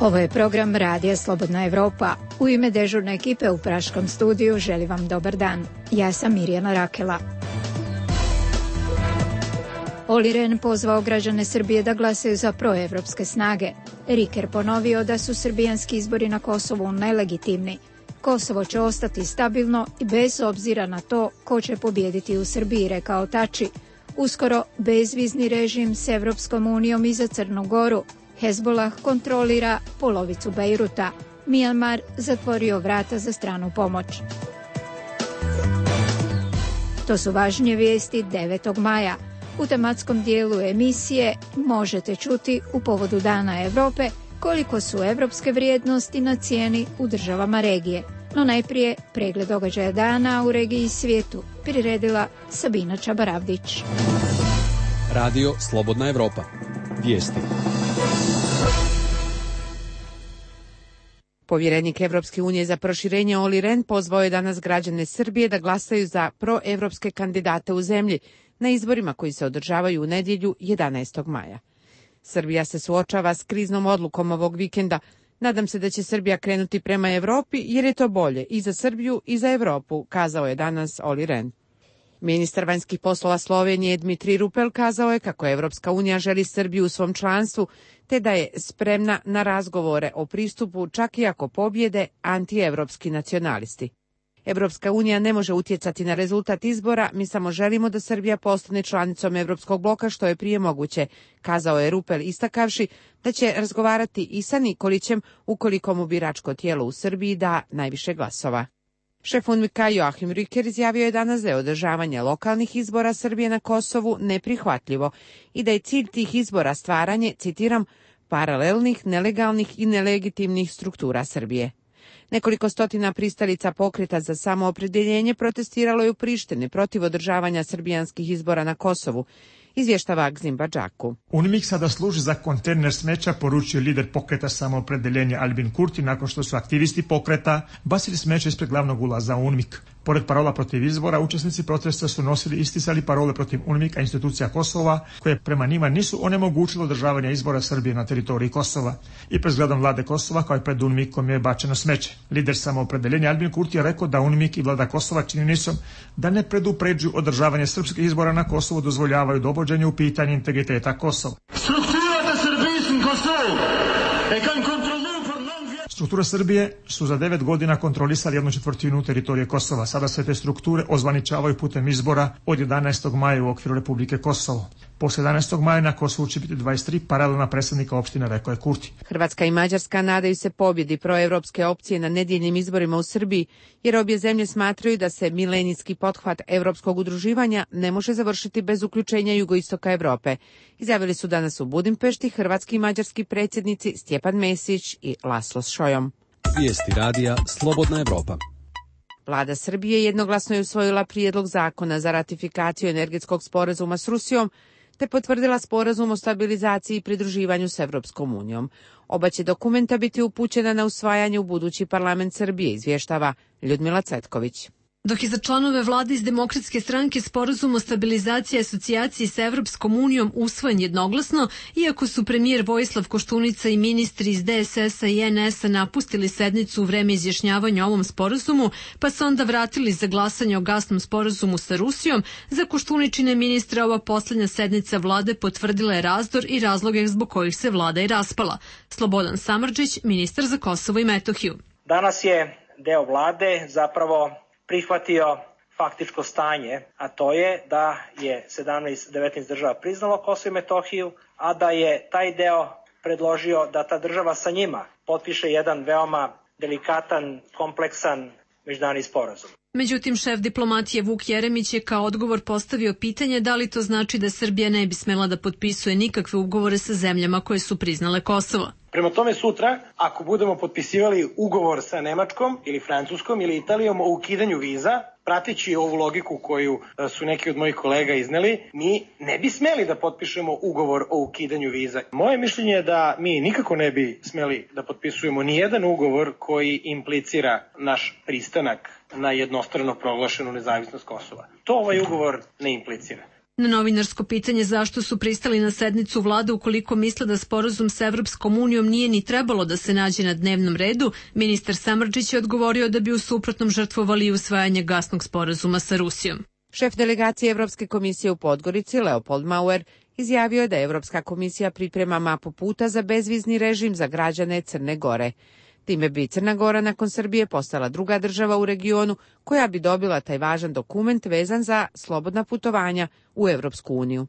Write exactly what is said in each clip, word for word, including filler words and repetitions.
Ovo je program Radija Slobodna Evropa. U ime dežurne ekipe u Praškom studiju želim vam dobar dan. Ja sam Mirjana Rakela. Olli Rehn pozvao građane Srbije da glasaju za proevropske snage. Riker ponovio da su srbijanski izbori na Kosovu nelegitimni. Kosovo će ostati stabilno i bez obzira na to ko će pobijediti u Srbiji, rekao Tači. Uskoro bezvizni režim s Evropskom unijom i za Crnu Goru. Hezbollah kontrolira polovicu Bejruta. Mijanmar zatvorio vrata za stranu pomoć. To su važnije vijesti devetog maja. U tematskom dijelu emisije možete čuti u povodu Dana Evrope koliko su evropske vrijednosti na cijeni u državama regije. No najprije pregled događaja dana u regiji i svijetu priredila Sabina Čabaravdić. Radio Slobodna Evropa. Vijesti. Povjerenik Evropske unije za proširenje Olli Rehn pozvao je danas građane Srbije da glasaju za proevropske kandidate u zemlji na izborima koji se održavaju u nedjelju jedanaestog maja. Srbija se suočava s kriznom odlukom ovog vikenda. Nadam se da će Srbija krenuti prema Evropi jer je to bolje i za Srbiju i za Evropu, kazao je danas Olli Rehn. Ministar vanjskih poslova Slovenije Dmitrij Rupel kazao je kako Evropska unija želi Srbiju u svom članstvu, te da je spremna na razgovore o pristupu čak i ako pobjede antievropski nacionalisti. Evropska unija ne može utjecati na rezultat izbora, mi samo želimo da Srbija postane članicom Evropskog bloka što je prije moguće, kazao je Rupel istakavši da će razgovarati i sa Nikolićem ukoliko mu biračko tijelo u Srbiji da najviše glasova. Šef UNMIK-a Joachim Rücker izjavio je danas da je održavanje lokalnih izbora Srbije na Kosovu neprihvatljivo i da je cilj tih izbora stvaranje, citiram, paralelnih, nelegalnih i nelegitimnih struktura Srbije. Nekoliko stotina pristalica pokreta za samoopredjeljenje protestiralo je u Prištini protiv održavanja srbijanskih izbora na Kosovu, izvještava Gzim Badžaku. UNMIK sada služi za kontejner smeća, poručio lider pokreta samoopredjeljenja Albin Kurti nakon što su aktivisti pokreta bacili smeće ispred glavnog ulaza u UNMIK. Pored parola protiv izbora, učesnici protesta su nosili i isticali parole protiv UNMIK-a institucija Kosova, koje prema njima nisu onemogućile održavanje izbora Srbije na teritoriji Kosova. I pred zgradom vlade Kosova, kao i pred UNMIK-om, je bačeno smeće. Lider samoopredjeljenja Albin Kurti je rekao da UNMIK i vlada Kosova činjenicom da ne predupređuju održavanje srpskih izbora na Kosovu dozvoljavaju dovođenje u pitanje integriteta Kosova. Strukture Srbije su za devet godina kontrolisali jednu četvrtinu teritorije Kosova. Sada se te strukture ozvaničavaju putem izbora od jedanaestog maja u okviru Republike Kosovo. Posle jedanaestog maja na Kosovu će biti dvadeset tri paralelna predsjednika opštine, rekao je Kurti. Hrvatska i Mađarska nadaju se pobjedi proevropske opcije na nedjeljnim izborima u Srbiji, jer obje zemlje smatraju da se milenijski pothvat evropskog udruživanja ne može završiti bez uključenja jugoistoka Evrope. Izjavili su danas u Budimpešti hrvatski i mađarski predsjednici Stjepan Mesić i Laslo Šojom. Vijesti radija Slobodna Evropa. Vlada Srbije jednoglasno je usvojila prijedlog zakona za ratifikaciju energetskog sporazuma s Rusijom, te potvrdila sporazum o stabilizaciji i pridruživanju s Evropskom unijom. Oba će dokumenta biti upućena na usvajanje u budući parlament Srbije, izvještava Ljudmila Cvetković. Dok je za članove vlade iz Demokratske stranke sporazum o stabilizaciji i asocijaciji sa Evropskom unijom usvojen jednoglasno, iako su premijer Vojislav Koštunica i ministri iz D S S-a i N S-a napustili sednicu u vreme izjašnjavanja o ovom sporazumu, pa se onda vratili za glasanje o gasnom sporazumu sa Rusijom, za Koštuničine ministre ova posljednja sednica vlade potvrdila je razdor i razloge zbog kojih se vlada i raspala. Slobodan Samardžić, ministar za Kosovo i Metohiju. Danas je deo vlade zapravo prihvatio faktičko stanje, a to je da je sedamnaest devetnaest država priznalo Kosovo i Metohiju, a da je taj deo predložio da ta država sa njima potpiše jedan veoma delikatan, kompleksan međunarodni sporazum. Međutim, šef diplomatije Vuk Jeremić je kao odgovor postavio pitanje da li to znači da Srbija ne bi smela da potpisuje nikakve ugovore sa zemljama koje su priznale Kosovo. Prema tome sutra, ako budemo potpisivali ugovor sa Nemačkom ili Francuskom ili Italijom o ukidanju viza, prateći ovu logiku koju su neki od mojih kolega izneli, mi ne bi smeli da potpišemo ugovor o ukidanju viza. Moje mišljenje je da mi nikako ne bi smeli da potpisujemo nijedan ugovor koji implicira naš pristanak na jednostrano proglašenu nezavisnost Kosova. To ovaj ugovor ne implicira. Na novinarsko pitanje zašto su pristali na sednicu vlade ukoliko misle da sporazum s Evropskom unijom nije ni trebalo da se nađe na dnevnom redu, ministar Samardžić je odgovorio da bi u suprotnom žrtvovali usvajanje gasnog sporazuma sa Rusijom. Šef delegacije Evropske komisije u Podgorici, Leopold Mauer, izjavio je da Evropska komisija priprema mapu puta za bezvizni režim za građane Crne Gore. Time bi Crna Gora nakon Srbije postala druga država u regionu koja bi dobila taj važan dokument vezan za slobodna putovanja u Evropsku uniju.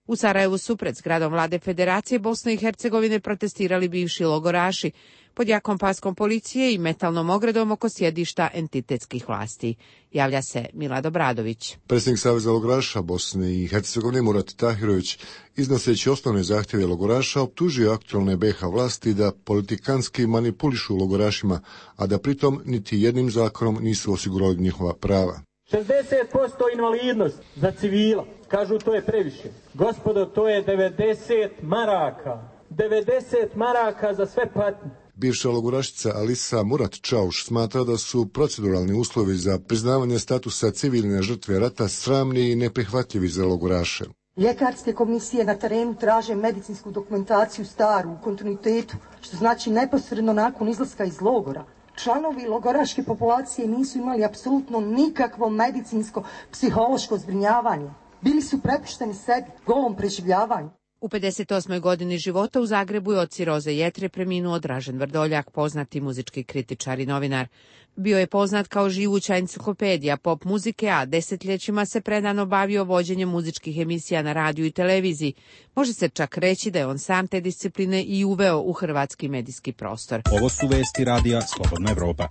U Sarajevu su pred zgradom vlade Federacije Bosne i Hercegovine protestirali bivši logoraši pod jakom paskom policije i metalnom ogradom oko sjedišta entitetskih vlasti. Javlja se Milad Obradović. Predsjednik Saveza logoraša Bosne i Hercegovine Murat Tahirović, iznoseći osnovne zahtjeve logoraša, optužio aktualne B iH vlasti da politikanski manipulišu logorašima, a da pritom niti jednim zakonom nisu osigurali njihova prava. šezdeset posto invalidnost za civila. Kažu to je previše. Gospodo, to je devedeset maraka. devedeset maraka za sve patnje. Bivša logorašica Alisa Murat Čauš smatra da su proceduralni uslovi za priznavanje statusa civilne žrtve rata sramni i neprihvatljivi za logoraše. Ljekarske komisije na terenu traže medicinsku dokumentaciju staru, u kontinuitetu, što znači neposredno nakon izlaska iz logora. Članovi logoraške populacije nisu imali apsolutno nikakvo medicinsko, psihološko zbrinjavanje. Bili su prepušteni sebi, golom preživljavanju. U pedeset osmoj godini života u Zagrebu je od ciroze jetre preminuo Dražen Vrdoljak, poznati muzički kritičar i novinar. Bio je poznat kao živuća enciklopedija pop muzike, a desetljećima se predano bavio vođenjem muzičkih emisija na radiju i televiziji. Može se čak reći da je on sam te discipline i uveo u hrvatski medijski prostor. Ovo su vesti radija Slobodna Evropa.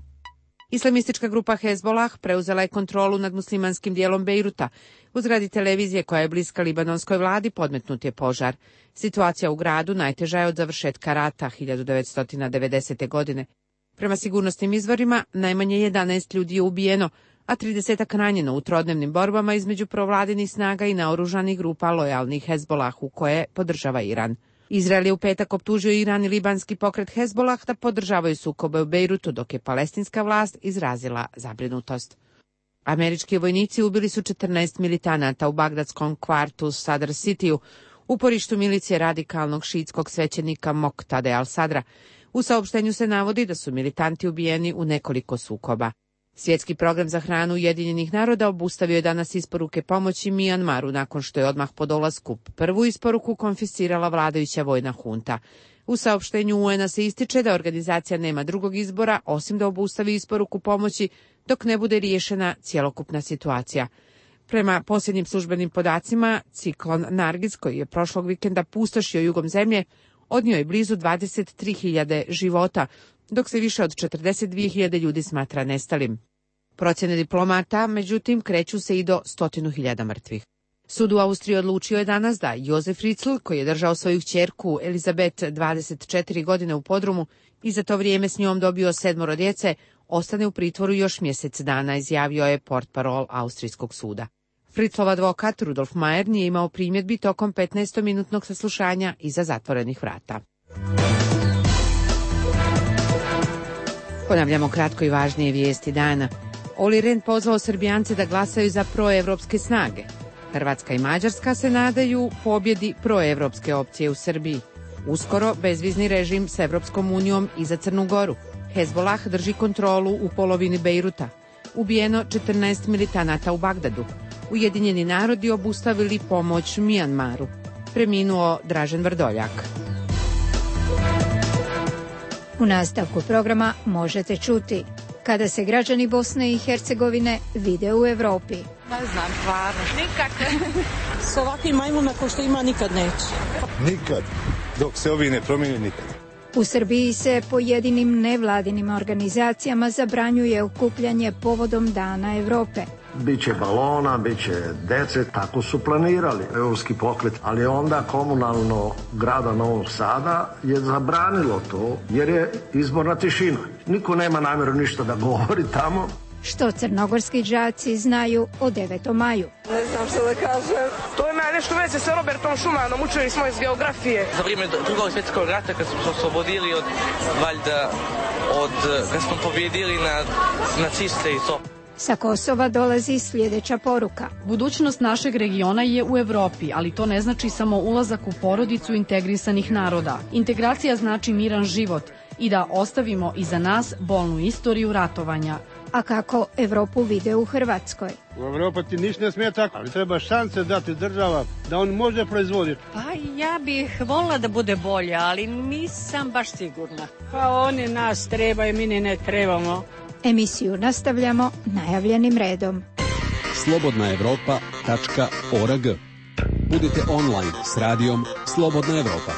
Islamistička grupa Hezbolah preuzela je kontrolu nad muslimanskim dijelom Bejruta. U zgradi televizije koja je bliska libanonskoj vladi podmetnut je požar. Situacija u gradu najteža je od završetka rata hiljadu devetsto devedesete. godine. Prema sigurnosnim izvorima, najmanje jedanaest ljudi je ubijeno, a tridesetak ranjeno u trodnevnim borbama između provladinih snaga i naoružanih grupa lojalnih Hezbolahu koje podržava Iran. Izrael je u petak optužio Iran i libanski pokret Hezbolah da podržavaju sukobe u Bejrutu, dok je palestinska vlast izrazila zabrinutost. Američki vojnici ubili su četrnaest militanata u bagdadskom kvartu Sadr Cityu, uporištu milicije radikalnog šiitskog svećenika Moktade al-Sadra. U saopštenju se navodi da su militanti ubijeni u nekoliko sukoba. Svjetski program za hranu Ujedinjenih naroda obustavio je danas isporuke pomoći Mijanmaru nakon što je odmah po dolasku prvu isporuku konfiscirala vladajuća vojna hunta. U saopštenju U N-a se ističe da organizacija nema drugog izbora osim da obustavi isporuku pomoći dok ne bude riješena cjelokupna situacija. Prema posljednjim službenim podacima, ciklon Nargis, koji je prošlog vikenda pustošio jugom zemlje, odnio je blizu dvadeset tri hiljade života, dok se više od četrdeset dvije hiljade ljudi smatra nestalim. Procjene diplomata, međutim, kreću se i do stotinu hiljada mrtvih. Sud u Austriji odlučio je danas da Josef Fritzl, koji je držao svoju kćerku Elizabeth dvadeset četiri godine u podrumu i za to vrijeme s njom dobio sedmoro djece, ostane u pritvoru još mjesec dana, izjavio je portparol Austrijskog suda. Fritzlov advokat Rudolf Mayer nije imao primjedbi tokom petnaestominutnog saslušanja iza zatvorenih vrata. Ponavljamo kratko i važnije vijesti dana. Olli Rehn pozvao Srbijance da glasaju za proevropske snage. Hrvatska i Mađarska se nadaju pobjedi proevropske opcije u Srbiji. Uskoro bezvizni režim s Evropskom unijom i za Crnu Goru. Hezbolah drži kontrolu u polovini Bejruta. Ubijeno četrnaest militanata u Bagdadu. Ujedinjeni narodi obustavili pomoć Mijanmaru. Preminuo Dražen Vrdoljak. U nastavku programa možete čuti kada se građani Bosne i Hercegovine vide u Evropi. Ne znam, stvarno. Nikad. S ovakvim majmuna ko što ima nikad neće. Nikad. Dok se ovi ne promijeni nikad. U Srbiji se pojedinim nevladinim organizacijama zabranjuje okupljanje povodom Dana Evrope. Biće balona, biće dece, tako su planirali evropski pokret, ali onda komunalno grada Novog Sada je zabranilo to jer je izborna tišina. Niko nema namjeru ništa da govori tamo. Što crnogorski đaci znaju o devetom maju? Ne znam što da kažem. To ima nešto veze sa Robertom Šumanom, učili smo iz geografije. Za vrijeme drugog svjetskog rata kad smo se oslobodili od, valjda, od, kad smo pobjedili na naciste i to. Sa Kosova dolazi sljedeća poruka. Budućnost našeg regiona je u Evropi, ali to ne znači samo ulazak u porodicu integrisanih naroda. Integracija znači miran život i da ostavimo iza nas bolnu istoriju ratovanja. A kako Evropu vide u Hrvatskoj? U Evropa ti ništa ne smije tako, ali treba šanse dati država da on može proizvoditi. Pa ja bih volila da bude bolje, ali nisam baš sigurna. Pa oni nas trebaju, mi ne trebamo. Emisiju nastavljamo najavljenim redom. slobodna evropa tačka org. Budite online s radijom Slobodna Evropa.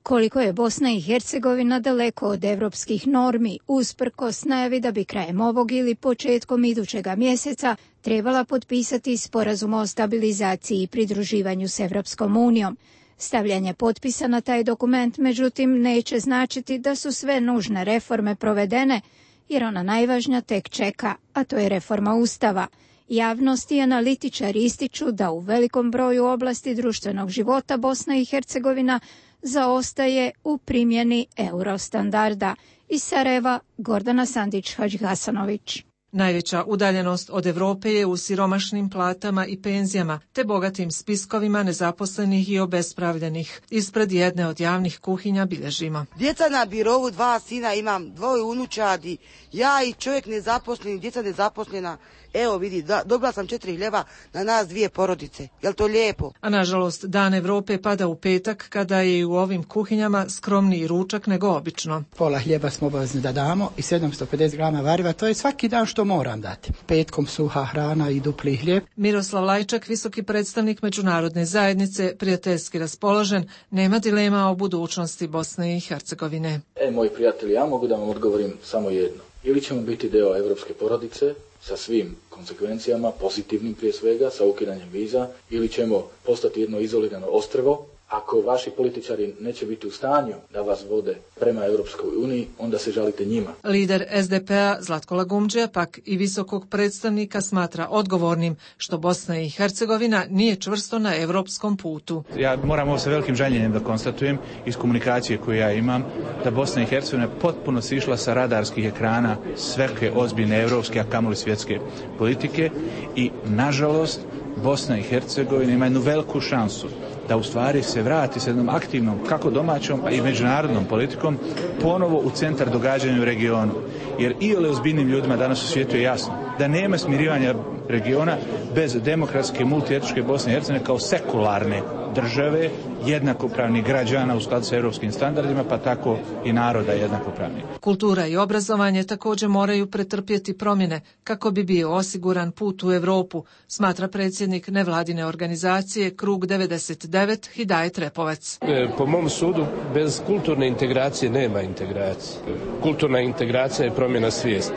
Koliko je Bosna i Hercegovina daleko od evropskih normi, usprkos najavi da bi krajem ovog ili početkom idućega mjeseca trebala potpisati sporazum o stabilizaciji i pridruživanju s Evropskom unijom. Stavljanje potpisa na taj dokument, međutim, neće značiti da su sve nužne reforme provedene, jer ona najvažnija tek čeka, a to je reforma Ustava. Javnost i analitičari ističu da u velikom broju oblasti društvenog života Bosna i Hercegovina zaostaje u primjeni eurostandarda. Iz Sarajeva, Gordana Sandić-Hadžihasanović. Najveća udaljenost od Evrope je u siromašnim platama i penzijama, te bogatim spiskovima nezaposlenih i obespravljenih. Ispred jedne od javnih kuhinja bilježimo. Djeca na birovu, dva sina, imam dvoje unučadi, ja i čovjek nezaposlen, djeca nezaposlena. Evo vidi, dobila sam četiri hljeba na nas dvije porodice. Jel to lijepo? A nažalost, Dan Evrope pada u petak, kada je i u ovim kuhinjama skromniji ručak nego obično. Pola hljeba smo obavezni da damo i sedamsto pedeset grama variva, to je svaki dan što moram dati. Petkom suha hrana i dupli hljeb. Miroslav Lajčak, visoki predstavnik međunarodne zajednice, prijateljski raspoložen, nema dilema o budućnosti Bosne i Hercegovine. E, moji prijatelji, ja mogu da vam odgovorim samo jedno. Ili ćemo biti deo evropske porodice, sa svim konsekvencijama, pozitivnim prije svega, sa ukidanjem viza, ili ćemo postati jedno izolirano ostrvo. Ako vaši političari neće biti u stanju da vas vode prema Europskoj uniji, onda se žalite njima. Lider es de pe a Zlatko Lagumdžija pak i visokog predstavnika smatra odgovornim što Bosna i Hercegovina nije čvrsto na europskom putu. Ja moram ovo sa velikim žaljenjem da konstatujem iz komunikacije koju ja imam, da Bosna i Hercegovina potpuno sišla sa radarskih ekrana sveke ozbiljne evropske, a kamoli svjetske politike i nažalost Bosna i Hercegovina ima jednu veliku šansu da u stvari se vrati s jednom aktivnom, kako domaćom, a i međunarodnom politikom, ponovo u centar događanja u regionu. Jer i ole ozbiljnim ljudima danas u svijetu je jasno da nema smirivanja regiona bez demokratske, multietničke Bosne i Hercegovine kao sekularne države, jednakopravnih građana u skladu sa europskim standardima, pa tako i naroda jednakopravnih. Kultura i obrazovanje također moraju pretrpjeti promjene kako bi bio osiguran put u Europu, smatra predsjednik nevladine organizacije Krug devedeset devet Hidajet Repovac. Po mom sudu, bez kulturne integracije nema integracije. Kulturna integracija je promjena svijesti,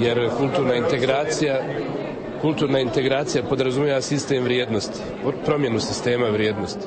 jer kulturna integracija Kulturna integracija podrazumijeva sistem vrijednosti, promjenu sistema vrijednosti.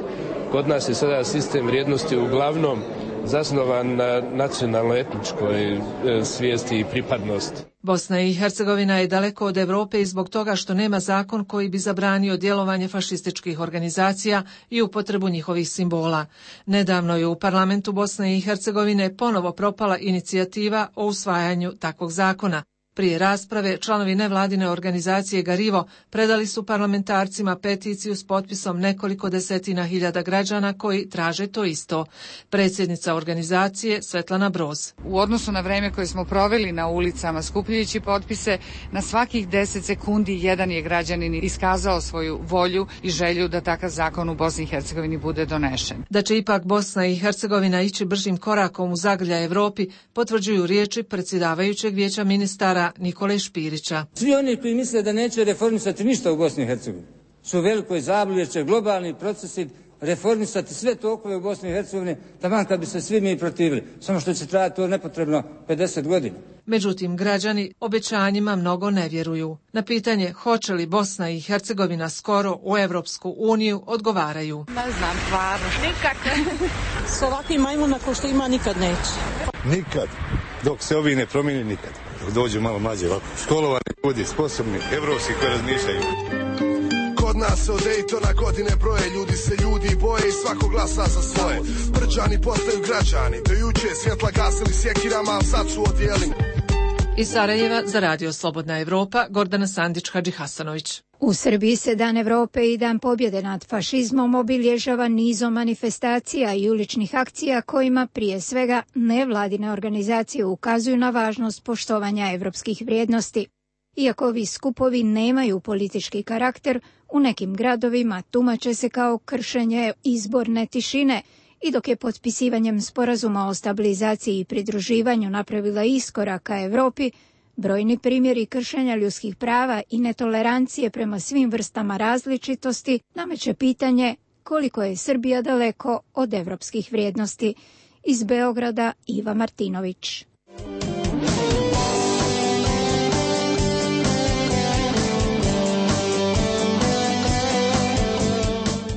Kod nas je sada sistem vrijednosti uglavnom zasnovan na nacionalno-etničkoj svijesti i pripadnosti. Bosna i Hercegovina je daleko od Europe i zbog toga što nema zakon koji bi zabranio djelovanje fašističkih organizacija i upotrebu njihovih simbola. Nedavno je u parlamentu Bosne i Hercegovine ponovo propala inicijativa o usvajanju takvog zakona. Prije rasprave, članovi nevladine organizacije Garivo predali su parlamentarcima peticiju s potpisom nekoliko desetina hiljada građana koji traže to isto. Predsjednica organizacije Svetlana Broz. U odnosu na vreme koje smo proveli na ulicama skupljajući potpise, na svakih deset sekundi jedan je građanin iskazao svoju volju i želju da takav zakon u Bosni i Hercegovini bude donešen. Da će ipak Bosna i Hercegovina ići bržim korakom u zagrljaj Evropi, potvrđuju riječi predsjedavajućeg vijeća ministara Nikole Špirića. Svi oni koji misle da neće reformisati ništa u Bosni i Hercegovini su u velikoj zabludi, jer će globalni procesi reformisati sve tokove u Bosni i Hercegovini, taman kad bi se svi mi protivili. Samo što će trajati to nepotrebno pedeset godina. Međutim, građani obećanjima mnogo ne vjeruju. Na pitanje hoće li Bosna i Hercegovina skoro u Evropsku uniju odgovaraju. Ne znam, stvarno. Nikak. S ovakvim majmuna ko što ima nikad neće. Nikad. Dok se ovi ne promijeni, nikad. Dok dođu malo mlađe ovako. Školovani ljudi, sposobni, evropski koji razmišljaju. Kod nas se od Daytona godine broje, ljudi se ljudi boje i svako glasa za svoje. Brđani postaju građani, do juče svjetla gasili sjekirama, ali sad su odijeli. Iz Sarajeva za Radio Slobodna Evropa, Gordana Sandić-Hadži Hasanović. U Srbiji se Dan Evrope i Dan pobjede nad fašizmom obilježava nizom manifestacija i uličnih akcija kojima prije svega nevladine organizacije ukazuju na važnost poštovanja evropskih vrijednosti. Iako ovi skupovi nemaju politički karakter, u nekim gradovima tumače se kao kršenje izborne tišine i dok je potpisivanjem sporazuma o stabilizaciji i pridruživanju napravila iskorak ka Evropi, brojni primjeri kršenja ljudskih prava i netolerancije prema svim vrstama različitosti nameće pitanje koliko je Srbija daleko od evropskih vrijednosti. Iz Beograda Iva Martinović.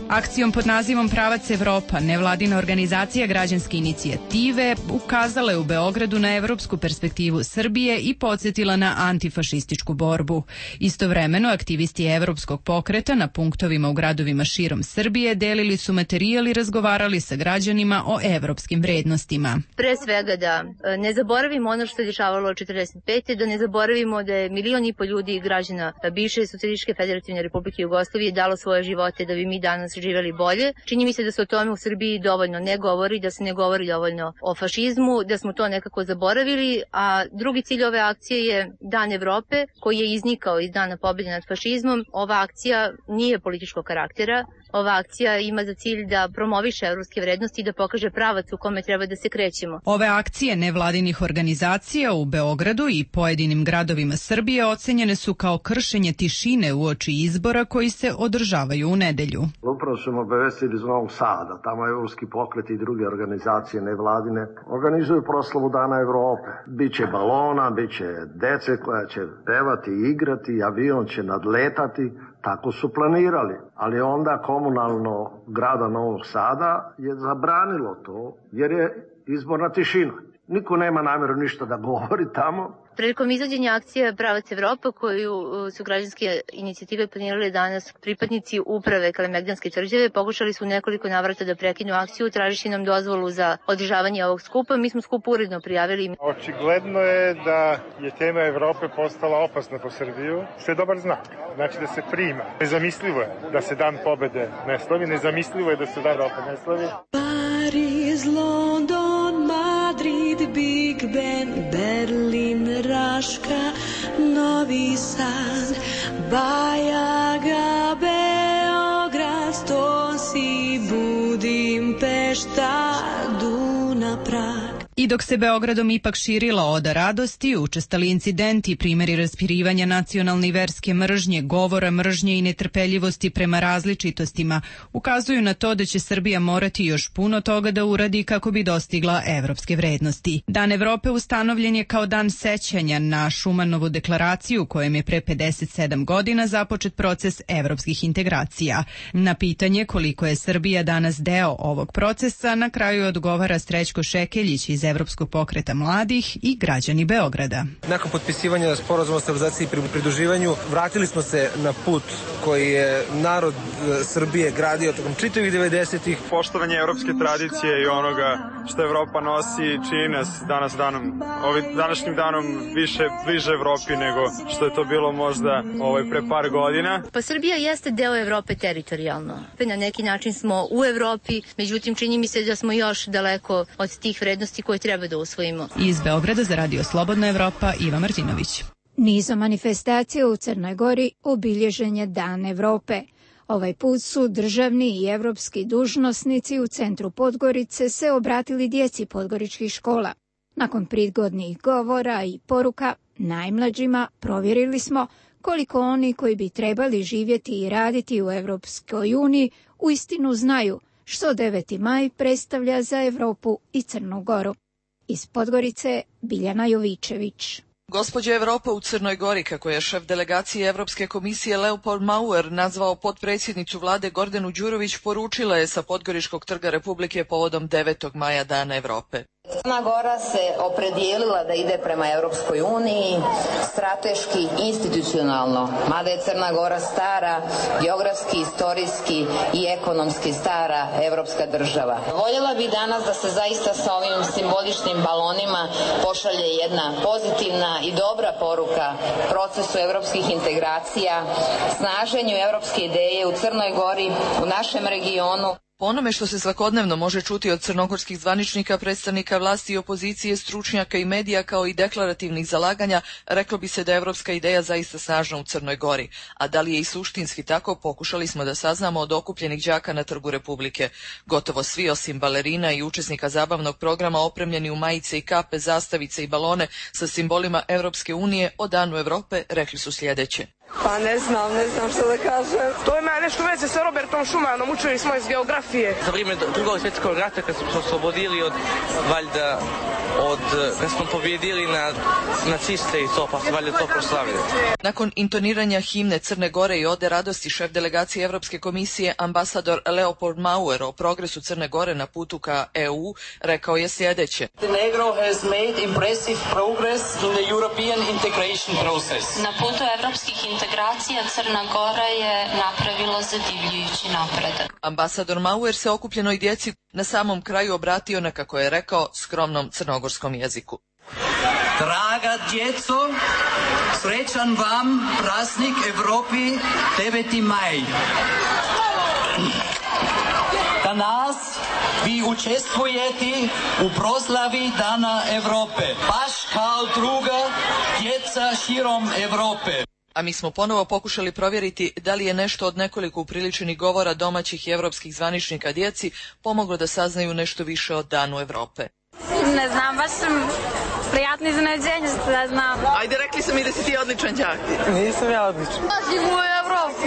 Akcijom pod nazivom Pravac Evropa, nevladina organizacija građanske inicijative ukazala je u Beogradu na evropsku perspektivu Srbije i podsjetila na antifašističku borbu. Istovremeno, aktivisti evropskog pokreta na punktovima u gradovima širom Srbije delili su materijal i razgovarali sa građanima o evropskim vrednostima. Pre svega da ne zaboravimo ono što se dešavalo od četrdeset pete da ne zaboravimo da je milion i po ljudi građana bivše Socijalističke federativne Republike Jugoslavije dalo svoje živote da bi mi danas živeli bolje. Čini mi se da se o tome u Srbiji dovoljno ne govori, da se ne govori dovoljno o fašizmu, da smo to nekako zaboravili, a drugi cilj ove akcije je Dan Evrope, koji je iznikao iz Dana pobjede nad fašizmom. Ova akcija nije političkog karaktera. Ova akcija ima za cilj da promoviše evropske vrednosti i da pokaže pravac u kome treba da se krećemo. Ove akcije nevladinih organizacija u Beogradu i pojedinim gradovima Srbije ocenjene su kao kršenje tišine uoči izbora koji se održavaju u nedelju. Upravo smo obavestili iz Novog Sada, tamo evropski pokret i druge organizacije nevladine organizuju proslavu Dana Evrope. Biće balona, biće dece koja će pevati i igrati, avion će nadletati. Tako su planirali, ali onda komunalno grada Novog Sada je zabranilo to jer je izborna tišina. Niko nema namjeru ništa da govori tamo. Prilikom izvođenja akcije Pravac Evropa, koju su građanske inicijative planirale danas, pripadnici uprave Kalemegdanske tvrđave pokušali su nekoliko navrata da prekinu akciju, tražiši nam dozvolu za održavanje ovog skupa. Mi smo skup uredno prijavili. Očigledno je da je tema Evrope postala opasna po Srbiju, što je dobar znak. Znači da se prima. Nezamislivo je da se Dan pobede ne slavi, nezamislivo je da se Dan Evrope ne slavi. Paris, London, Madrid, Big Ben, Berlin, Raška, Novi Sad, Bajaga, Beograd, Stosi, Budimpešta, Duna, Prag. I dok se Beogradom ipak širila oda radosti, učestali incidenti i primjeri raspirivanja nacionalne i verske mržnje, govora mržnje i netrpeljivosti prema različitostima ukazuju na to da će Srbija morati još puno toga da uradi kako bi dostigla evropske vrednosti. Dan Evrope ustanovljen je kao dan sećanja na Šumanovu deklaraciju u kojem je pre pedeset sedam godina započet proces evropskih integracija. Na pitanje koliko je Srbija danas deo ovog procesa, na kraju odgovara Srećko Šekeljić iz Evropskog pokreta mladih i građani Beograda. Nakon potpisivanja sporazuma o stabilizaciji i pridruživanju vratili smo se na put koji je narod Srbije gradio tokom čitavih devedesetih. Poštovanje evropske tradicije i onoga što Evropa nosi čini nas danas danom, ovim današnjim danom više bliže Evropi nego što je to bilo možda ovaj pre par godina. Pa Srbija jeste deo Evrope teritorijalno. Na neki način smo u Evropi, međutim čini mi se da smo još daleko od tih vrednosti koje treba da usvojimo. Iz Beograda za Radio Slobodna Evropa, Iva Martinović. Nizom manifestacija u Crnoj Gori obilježen je Dan Evrope. Ovaj put su državni i evropski dužnosnici u centru Podgorice se obratili djeci podgoričkih škola. Nakon prigodnih govora i poruka najmlađima provjerili smo koliko oni koji bi trebali živjeti i raditi u Evropskoj uniji uistinu znaju što deveti maj predstavlja za Evropu i Crnu Goru. Iz Podgorice Biljana Jovičević. Gospođa Evropa u Crnoj Gori, kako je šef delegacije Evropske komisije Leopold Mauer nazvao potpredsjednicu vlade Gordanu Đurović, poručila je sa Podgoričkog trga Republike povodom devetog maja Dana Evrope. Crna Gora se opredijelila da ide prema Europskoj uniji strateški, institucionalno, mada je Crna Gora stara, geografski, istorijski i ekonomski stara evropska država. Voljela bih danas da se zaista sa ovim simboličnim balonima pošalje jedna pozitivna i dobra poruka procesu evropskih integracija, snaženju evropske ideje u Crnoj Gori, u našem regionu. Po onome što se svakodnevno može čuti od crnogorskih zvaničnika, predstavnika vlasti i opozicije, stručnjaka i medija kao i deklarativnih zalaganja, reklo bi se da je evropska ideja zaista snažna u Crnoj Gori. A da li je i suštinski tako, pokušali smo da saznamo od okupljenih đaka na Trgu Republike. Gotovo svi osim balerina i učesnika zabavnog programa opremljeni u majice i kape, zastavice i balone sa simbolima Evropske unije o Danu Evrope rekli su sljedeće. Pa ne znam, ne znam što da kažem. To ima nešto veze sa Robertom Schumanom, učili smo iz geografije. Za vrijeme drugog svjetskog rata kad smo se oslobodili od, valjda, od, kad smo pobjedili na naciste i to, pa su valjda to proslavili. Nakon intoniranja himne Crne Gore i ode radosti, šef delegacije Evropske komisije, ambasador Leopold Mauer o progresu Crne Gore na putu ka E U, rekao je sljedeće. Montenegro has made impressive progress in the European integration process. Na putu evropskih integracija Crna Gora je napravila zadivljujući napredak. Ambasador Mauer se okupljenoj djeci na samom kraju obratio na, kako je rekao, skromnom crnogorskom jeziku. Draga djeco, srećan vam praznik Evropi deveti maj. Danas vi učestvujete u proslavi Dana Evrope, baš kao druga djeca širom Evrope. A mi smo ponovo pokušali provjeriti da li je nešto od nekoliko upriličenih govora domaćih i evropskih zvaničnika djeci pomoglo da saznaju nešto više o Danu Evrope. Ne znam, baš sam prijatno iznenađenje da znam. Ajde, rekli su mi da si ti odličan đak. Nisam ja odličan. Živim u Evropi.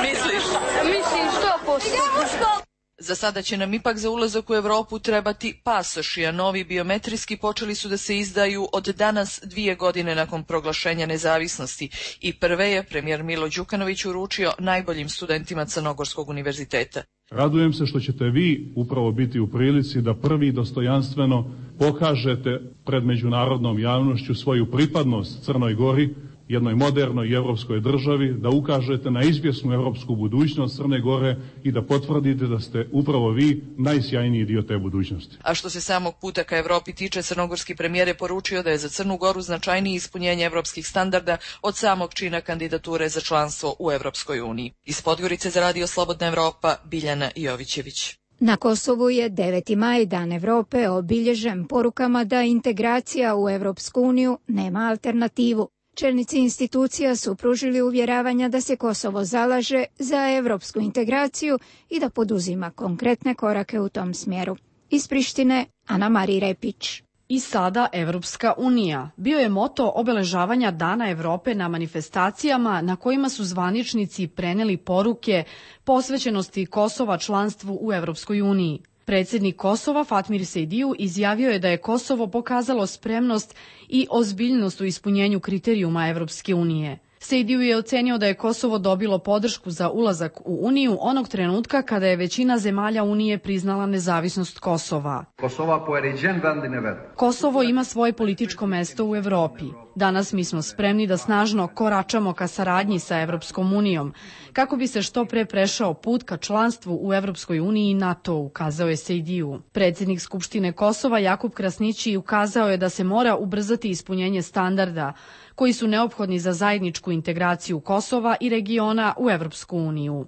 Misliš? Mislim, sto posto. Za sada će nam ipak za ulazak u Evropu trebati pasoši, a novi biometrijski počeli su da se izdaju od danas dvije godine nakon proglašenja nezavisnosti i prve je premijer Milo Đukanović uručio najboljim studentima Crnogorskog univerziteta. Radujem se što ćete vi upravo biti u prilici da prvi dostojanstveno pokažete pred međunarodnom javnošću svoju pripadnost Crnoj Gori, jednoj modernoj i evropskoj državi, da ukažete na izvjesnu evropsku budućnost Crne Gore i da potvrdite da ste upravo vi najsjajniji dio te budućnosti. A što se samog puta ka Evropi tiče, crnogorski premijer je poručio da je za Crnu Goru značajnije ispunjenje evropskih standarda od samog čina kandidature za članstvo u Evropskoj uniji. Iz Podgorice za Radio Slobodna Evropa, Biljana Jovićević. Na Kosovu je deveti maj, Dan Evrope, obilježen porukama da integracija u Evropsku uniju nema alternativu. Čelnici institucija su pružili uvjeravanja da se Kosovo zalaže za evropsku integraciju i da poduzima konkretne korake u tom smjeru. Iz Prištine, Ana Marija Repić. I sada Evropska unija bio je moto obeležavanja Dana Evrope na manifestacijama na kojima su zvaničnici preneli poruke posvećenosti Kosova članstvu u Evropskoj uniji. Predsjednik Kosova Fatmir Sejdiju izjavio je da je Kosovo pokazalo spremnost i ozbiljnost u ispunjenju kriterijuma Evropske unije. Sejdiju je ocenio da je Kosovo dobilo podršku za ulazak u Uniju onog trenutka kada je većina zemalja Unije priznala nezavisnost Kosova. Kosovo ima svoje političko mesto u Evropi. Danas mi smo spremni da snažno koračamo ka saradnji sa Evropskom unijom, kako bi se što pre prešao put ka članstvu u Evropskoj uniji i NATO, ukazao je Sejdiju. Predsjednik Skupštine Kosova Jakub Krasnići ukazao je da se mora ubrzati ispunjenje standarda koji su neophodni za zajedničku integraciju Kosova i regiona u Evropsku uniju.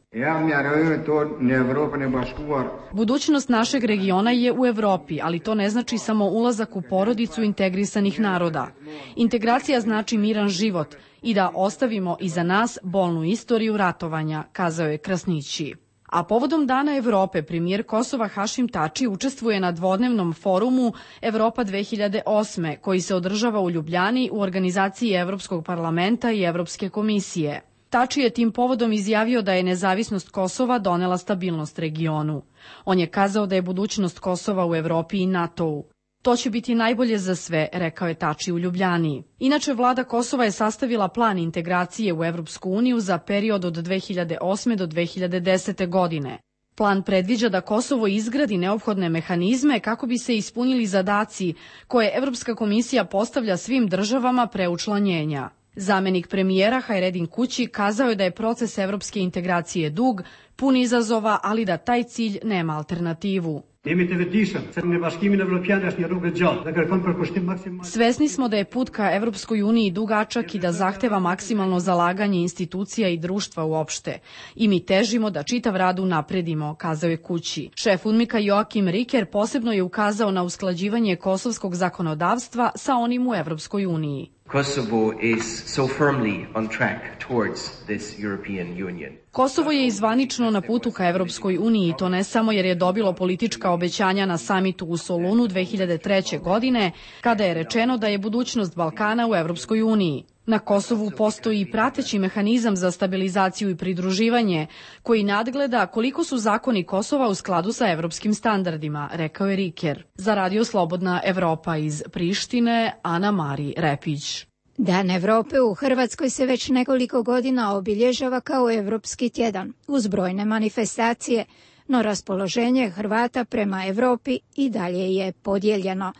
Budućnost našeg regiona je u Evropi, ali to ne znači samo ulazak u porodicu integrisanih naroda. Integracija znači miran život i da ostavimo iza nas bolnu istoriju ratovanja, kazao je Krasnići. A povodom Dana Evrope, premijer Kosova Hašim Tači učestvuje na dvodnevnom forumu Evropa dve hiljade osme, koji se održava u Ljubljani u organizaciji Evropskog parlamenta i Evropske komisije. Tači je tim povodom izjavio da je nezavisnost Kosova donela stabilnost regionu. On je kazao da je budućnost Kosova u Evropi i NATO-u. To će biti najbolje za sve, rekao je Tači u Ljubljani. Inače, vlada Kosova je sastavila plan integracije u Evropsku uniju za period od dve hiljade osme do dve hiljade desete godine. Plan predviđa da Kosovo izgradi neophodne mehanizme kako bi se ispunili zadaci koje Evropska komisija postavlja svim državama pre učlanjenja. Zamenik premijera Hajredin Kući kazao je da je proces evropske integracije dug, pun izazova, ali da taj cilj nema alternativu. Svesni smo da je put ka Evropskoj uniji dugačak i da zahteva maksimalno zalaganje institucija i društva uopšte. I mi težimo da čitav rad unapredimo, kazao je Kući. Šef UNMIK-a Joakim Riker posebno je ukazao na usklađivanje kosovskog zakonodavstva sa onim u Evropskoj uniji. Kosovo is so firmly on track towards this European Union. Kosovo je izvanično na putu ka Evropskoj uniji i to ne samo jer je dobilo politička obećanja na samitu u Solunu dve hiljade treće. godine, kada je rečeno da je budućnost Balkana u Evropskoj uniji. Na Kosovu postoji prateći mehanizam za stabilizaciju i pridruživanje, koji nadgleda koliko su zakoni Kosova u skladu sa evropskim standardima, rekao je Riker. Za Radio Slobodna Evropa iz Prištine, Ana Mari Repić. Dan Evrope u Hrvatskoj se već nekoliko godina obilježava kao Evropski tjedan, uz brojne manifestacije, no raspoloženje Hrvata prema Evropi i dalje je podijeljeno.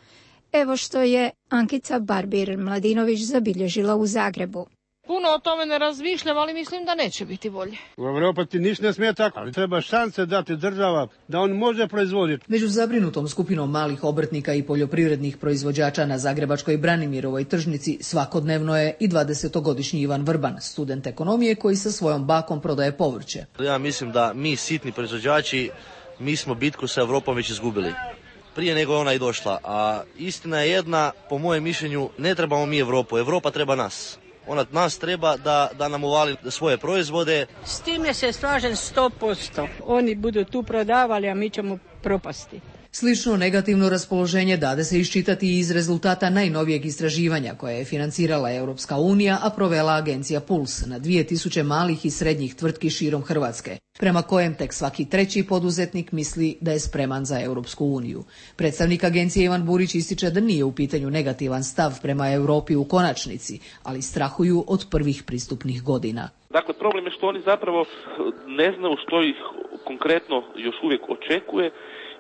Evo što je Ankica Barbir-Mladinović zabilježila u Zagrebu. Puno o tome ne razmišljam, ali mislim da neće biti bolje. U Evropi ti ništa ne smije tako, ali treba šanse dati država da on može proizvoditi. Među zabrinutom skupinom malih obrtnika i poljoprivrednih proizvođača na zagrebačkoj Branimirovoj tržnici svakodnevno je i dvadesetogodišnji Ivan Vrban, student ekonomije koji sa svojom bakom prodaje povrće. Ja mislim da mi sitni proizvođači, mi smo bitku sa Evropom već izgubili. Prije nego ona i došla, a istina je jedna, po mojem mišljenju, ne trebamo mi Evropu, Evropa treba nas. Ona nas treba da, da nam uvali svoje proizvode. S time se slažem sto posto. Oni budu tu prodavali, a mi ćemo propasti. Slično negativno raspoloženje dade se iščitati iz rezultata najnovijeg istraživanja koje je financirala Europska unija, a provela agencija Puls na dvije tisuće malih i srednjih tvrtki širom Hrvatske, prema kojem tek svaki treći poduzetnik misli da je spreman za Europsku uniju. Predstavnik agencije Ivan Burić ističe da nije u pitanju negativan stav prema Europi u konačnici, ali strahuju od prvih pristupnih godina. Dakle, problem je što oni zapravo ne znaju što ih konkretno još uvijek očekuje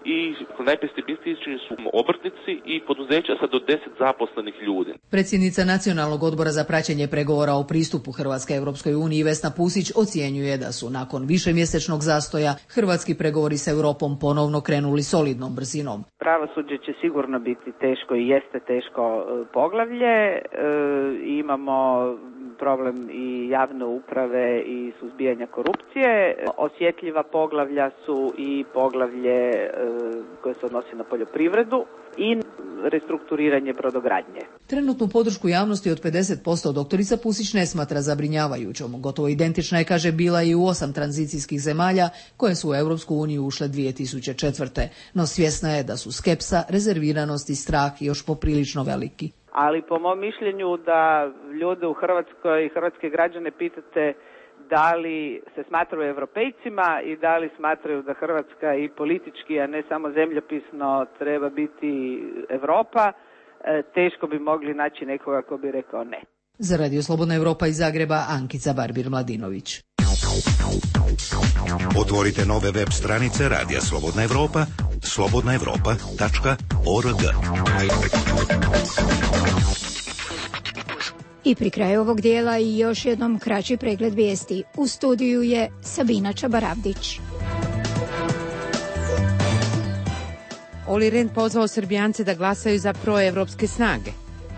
i najpesimističniji su obrtnici i poduzeća sa do deset zaposlenih ljudi. Predsjednica Nacionalnog odbora za praćenje pregovora o pristupu Hrvatske Europskoj uniji Vesna Pusić ocjenjuje da su nakon višemjesečnog zastoja hrvatski pregovori s Europom ponovno krenuli solidnom brzinom. Pravosuđe će sigurno biti teško i jeste teško poglavlje. E, imamo problem i javne uprave i suzbijanja korupcije. Osjetljiva poglavlja su i poglavlje e, koje se odnosi na poljoprivredu i restrukturiranje brodogradnje. Trenutnu podršku javnosti od pedeset posto doktorica Pusić ne smatra zabrinjavajućom. Gotovo identična je, kaže, bila i u osam tranzicijskih zemalja koje su u Europsku uniju ušle dvije tisuće četvrte. No svjesna je da su skepsa, rezerviranost i strah još poprilično veliki. Ali po mom mišljenju da ljude u Hrvatskoj i hrvatske građane pitate da li se smatraju europejcima i da li smatraju da Hrvatska i politički, a ne samo zemljopisno, treba biti Europa, teško bi mogli naći nekoga ko bi rekao ne. Za Radio Slobodna Evropa iz Zagreba, Ankica Barbir-Mladinović. Otvorite nove web stranice Radija Slobodna Evropa, slobodna evropa tačka org. I pri kraju ovog dijela i još jednom kraći pregled vijesti. U studiju je Sabina Čabaravdić. Olli Rehn pozvao Srbijance da glasaju za proevropske snage.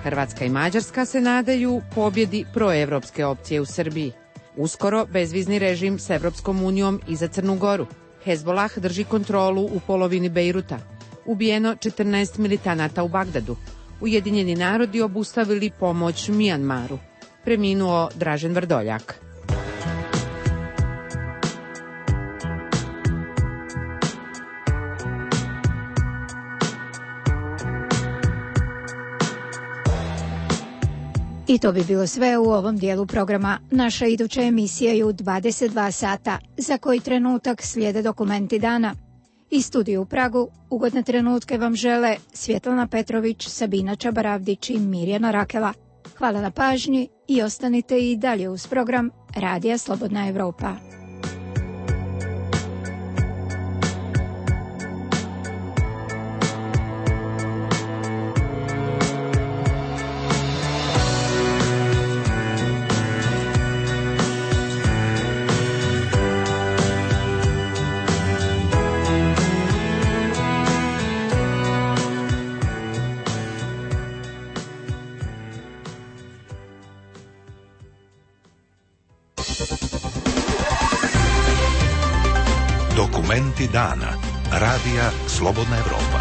Hrvatska i Mađarska se nadaju pobjedi proevropske opcije u Srbiji. Uskoro bezvizni režim s Evropskom unijom i za Crnu Goru. Hezbolah drži kontrolu u polovini Bejruta. Ubijeno četrnaest militanata u Bagdadu. Ujedinjeni narodi obustavili pomoć Mijanmaru. Preminuo Dražen Vrdoljak. I to bi bilo sve u ovom dijelu programa. Naša iduća emisija je u dvadeset dva sata, za koji trenutak slijede dokumenti dana. Iz studiju u Pragu ugodne trenutke vam žele Svjetlana Petrović, Sabina Čabaravdić i Mirjana Rakela. Hvala na pažnji i ostanite i dalje uz program Radija Slobodna Evropa. Dokumenti dana. Radija Slobodna Evropa.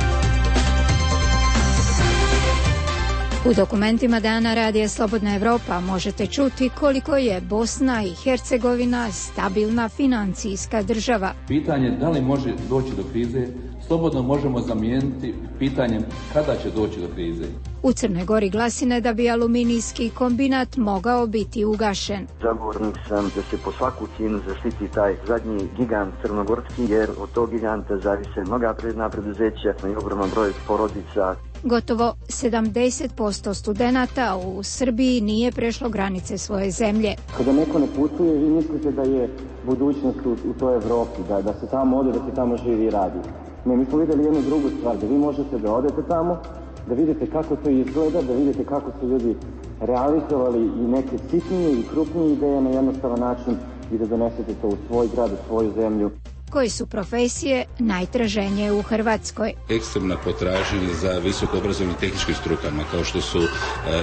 U dokumentima dana Radija Slobodna Evropa možete čuti koliko je Bosna i Hercegovina stabilna financijska država. Pitanje da li može doći do krize slobodno možemo zamijeniti pitanjem kada će doći do krize. U Crnoj Gori glasine da bi aluminijski kombinat mogao biti ugašen. Zagovornik sam da se po svaku cijenu zaštiti taj zadnji gigant crnogorski, jer od tog giganta zavise mnoga predna preduzeća i ogroman broj porodica. Gotovo sedamdeset posto studenata u Srbiji nije prešlo granice svoje zemlje. Kada neko ne putuje, vi mislite da je budućnost u, u toj Evropi, da, da se tamo ode, da se tamo živi i radi. Ne, mi smo vidjeli jednu drugu stvar, da vi možete da odete tamo, da vidite kako to izgleda, da vidite kako su ljudi realizovali i neke sitnije i krupnije ideje na jednostavan način i da donesete to u svoj grad, u svoju zemlju. Koje su profesije najtraženije u Hrvatskoj? Ekstremna potražnja za visoko obrazovnim tehničkim strukama, kao što su uh,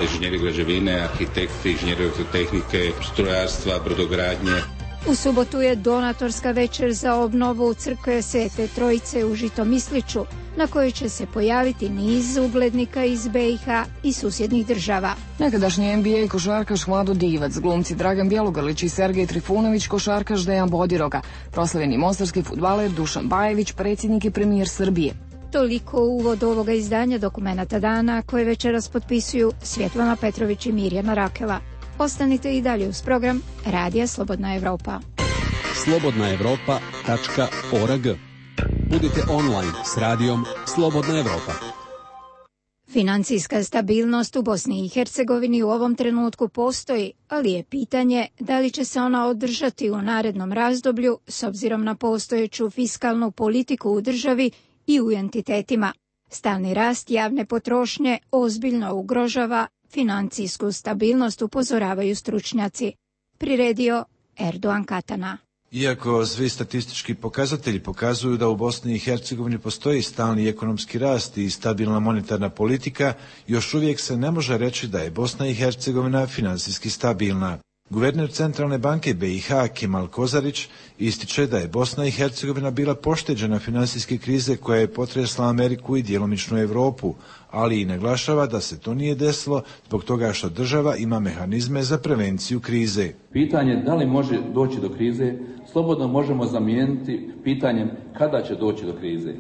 inženjeri građevine, arhitekti, inženjeri elektrotehnike, strojarstva, brodogradnje. U subotu je donatorska večer za obnovu crkve Svete Trojice u Žitomisliću, na kojoj će se pojaviti niz uglednika iz B i H i susjednih država. Nekadašnji N B A košarkaš Vlado Divac, glumci Dragan Bjelogrlić i Sergej Trifunović, košarkaš Dejan Bodiroga, proslavljeni mostarski fudbaler Dušan Bajević, predsjednik i premijer Srbije. Toliko u uvod ovoga izdanja Dokumenata dana koje večeras potpisuju Svjetlana Petrović i Mirjana Rakela. Ostanite i dalje uz program Radija Slobodna Evropa. slobodna evropa tačka org. Budite online s radijom Slobodna Evropa. Financijska stabilnost u Bosni i Hercegovini u ovom trenutku postoji, ali je pitanje da li će se ona održati u narednom razdoblju s obzirom na postojeću fiskalnu politiku u državi i u entitetima. Stalni rast javne potrošnje ozbiljno ugrožava financijsku stabilnost, upozoravaju stručnjaci. Priredio Erdogan Katana. Iako svi statistički pokazatelji pokazuju da u Bosni i Hercegovini postoji stalni ekonomski rast i stabilna monetarna politika, još uvijek se ne može reći da je Bosna i Hercegovina financijski stabilna. Guverner Centralne banke B i H Kemal Kozarić ističe da je Bosna i Hercegovina bila pošteđena financijske krize koja je potresla Ameriku i djelomičnu Europu, ali i naglašava da se to nije desilo zbog toga što država ima mehanizme za prevenciju krize. Pitanje da li može doći do krize slobodno možemo zamijeniti pitanjem kada će doći do krize.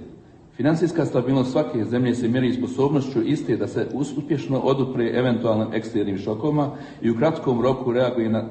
Financijska stabilnost svake zemlje se mjeri sposobnošću iste da se uspješno odupre eventualnim eksternim šokovima i u kratkom roku reaguje na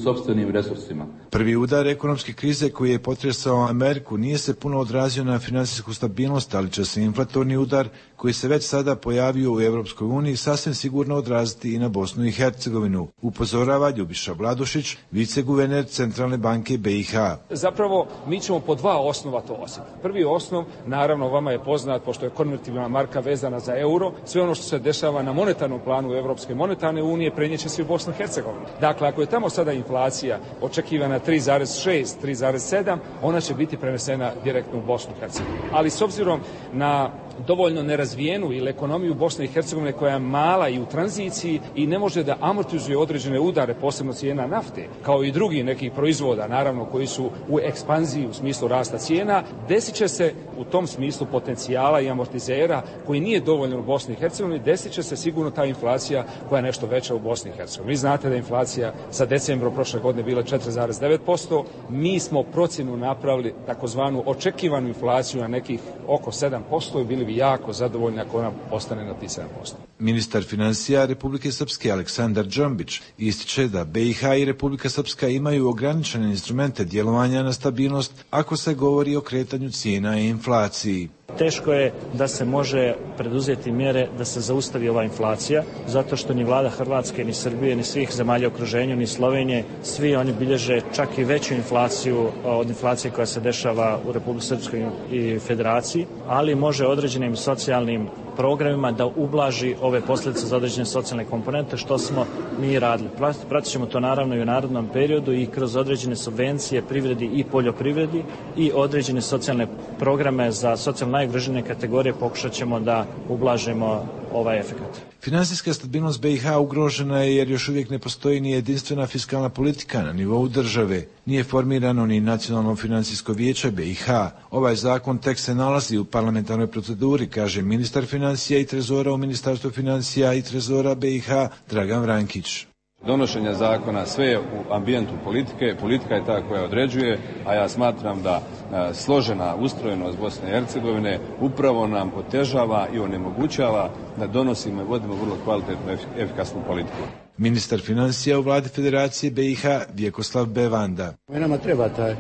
sopstvenim resursima. Prvi udar ekonomske krize koji je potresao Ameriku nije se puno odrazio na financijsku stabilnost, ali će se inflatorni udar koji se već sada pojavio u Europskoj uniji sasvim sigurno odraziti i na Bosnu i Hercegovinu, upozorava Ljubiša Vladušić, viceguverner Centralne banke B i H. Zapravo mi ćemo po dva osnova to osjetiti. Prvi osnov, naravno vama je poznat, pošto je konvertibilna marka vezana za euro, sve ono što se dešava na monetarnom planu Europske monetarne unije prenijeće se u Bosnu i Hercegovinu. Dakle, ako je tamo sada inflacija očekivana tri zarez šest, tri zarez sedam, ona će biti prenesena direktno u Bosnu i Hercegovinu. Ali s obzirom na dovoljno nerazvijenu ili ekonomiju Bosne i Hercegovine koja je mala i u tranziciji i ne može da amortizuje određene udare, posebno cijena nafte, kao i drugih nekih proizvoda, naravno koji su u ekspanziji u smislu rasta cijena, desit će se u tom smislu potencijala i amortizera koji nije dovoljno u Bosni i Hercegovini, desit će se sigurno ta inflacija koja je nešto veća u Bosni i Hercegovini. Vi znate da je inflacija sa decembrom prošle godine bila četiri zarez devet posto, mi smo procjenu napravili takozvanu očekivanu inflaciju na nekih oko sedam posto i bili bi jako zadovoljni ako ona ostane na tih sedam posto. Ministar financija Republike Srpske Aleksandar Džombić ističe da B i H i Republika Srpska imaju ograničene instrumente djelovanja na stabilnost ako se govori o kretanju cijena i inflaciji. Teško je da se može preduzeti mjere da se zaustavi ova inflacija, zato što ni vlada Hrvatske, ni Srbije, ni svih zemalja u okruženju, ni Slovenije, svi oni bilježe čak i veću inflaciju od inflacije koja se dešava u Republici Srpskoj i Federaciji, ali može određenim socijalnim programima da ublaži ove posljedice za određene socijalne komponente, što smo mi radili. Pratit ćemo to naravno i u narednom periodu i kroz određene subvencije privredi i poljoprivredi i određene socijalne programe za socijalno najugroženije kategorije pokušat ćemo da ublažimo ovaj efekt. Finansijska stabilnost B i H ugrožena je jer još uvijek ne postoji ni jedinstvena fiskalna politika na nivou države. Nije formirano ni nacionalno financijsko vijeće B i H. Ovaj zakon tek se nalazi u parlamentarnoj proceduri, kaže ministar financija i trezora u Ministarstvu financija i trezora B i H Dragan Vrankić. Donošenje zakona sve je u ambijentu politike, politika je ta koja određuje, a ja smatram da a, složena ustrojenost Bosne i Hercegovine upravo nam otežava i onemogućava da donosimo i vodimo vrlo kvalitetnu i efikasnu politiku. Ministar financija u vladi Federacije B i H Vjekoslav Bevanda. Nama treba ta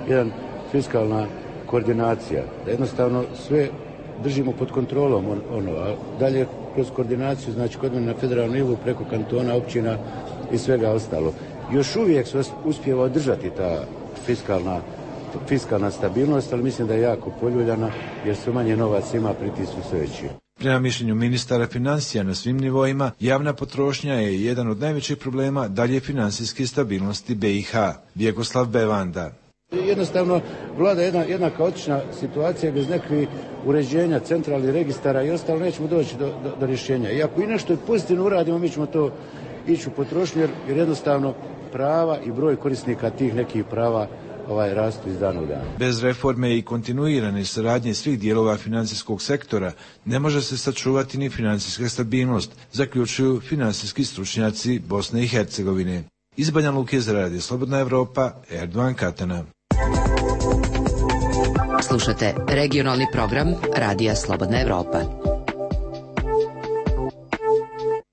jedan fiskalna koordinacija, da jednostavno sve držimo pod kontrolom, on, ono, a dalje kroz koordinaciju, znači kod mene na federalnom nivou preko kantona, općina i svega ostalo. Još uvijek se uspijeva održati ta fiskalna, fiskalna stabilnost, ali mislim da je jako poljuljana jer sve manje novac ima, pritisku sve veći. Prema mišljenju ministara financija na svim nivoima, javna potrošnja je jedan od najvećih problema dalje financijske stabilnosti B i H. Vjekoslav Bevanda. Jednostavno, vlada jedna, jedna kaotična situacija bez nekih uređenja, centralnih registara i ostalo, nećemo doći do, do, do rješenja. I ako i nešto pozitivno uradimo, mi ćemo to ići u potrošnju, jer, jer jednostavno prava i broj korisnika tih nekih prava ovaj rastu iz dana u dan. Bez reforme i kontinuirane saradnje svih dijelova financijskog sektora ne može se sačuvati ni financijska stabilnost, zaključuju financijski stručnjaci Bosne i Hercegovine. Iz Banja Luke za Radio Slobodna Evropa, Erdovan Katana. Slušate regionalni program Radija Slobodna Evropa.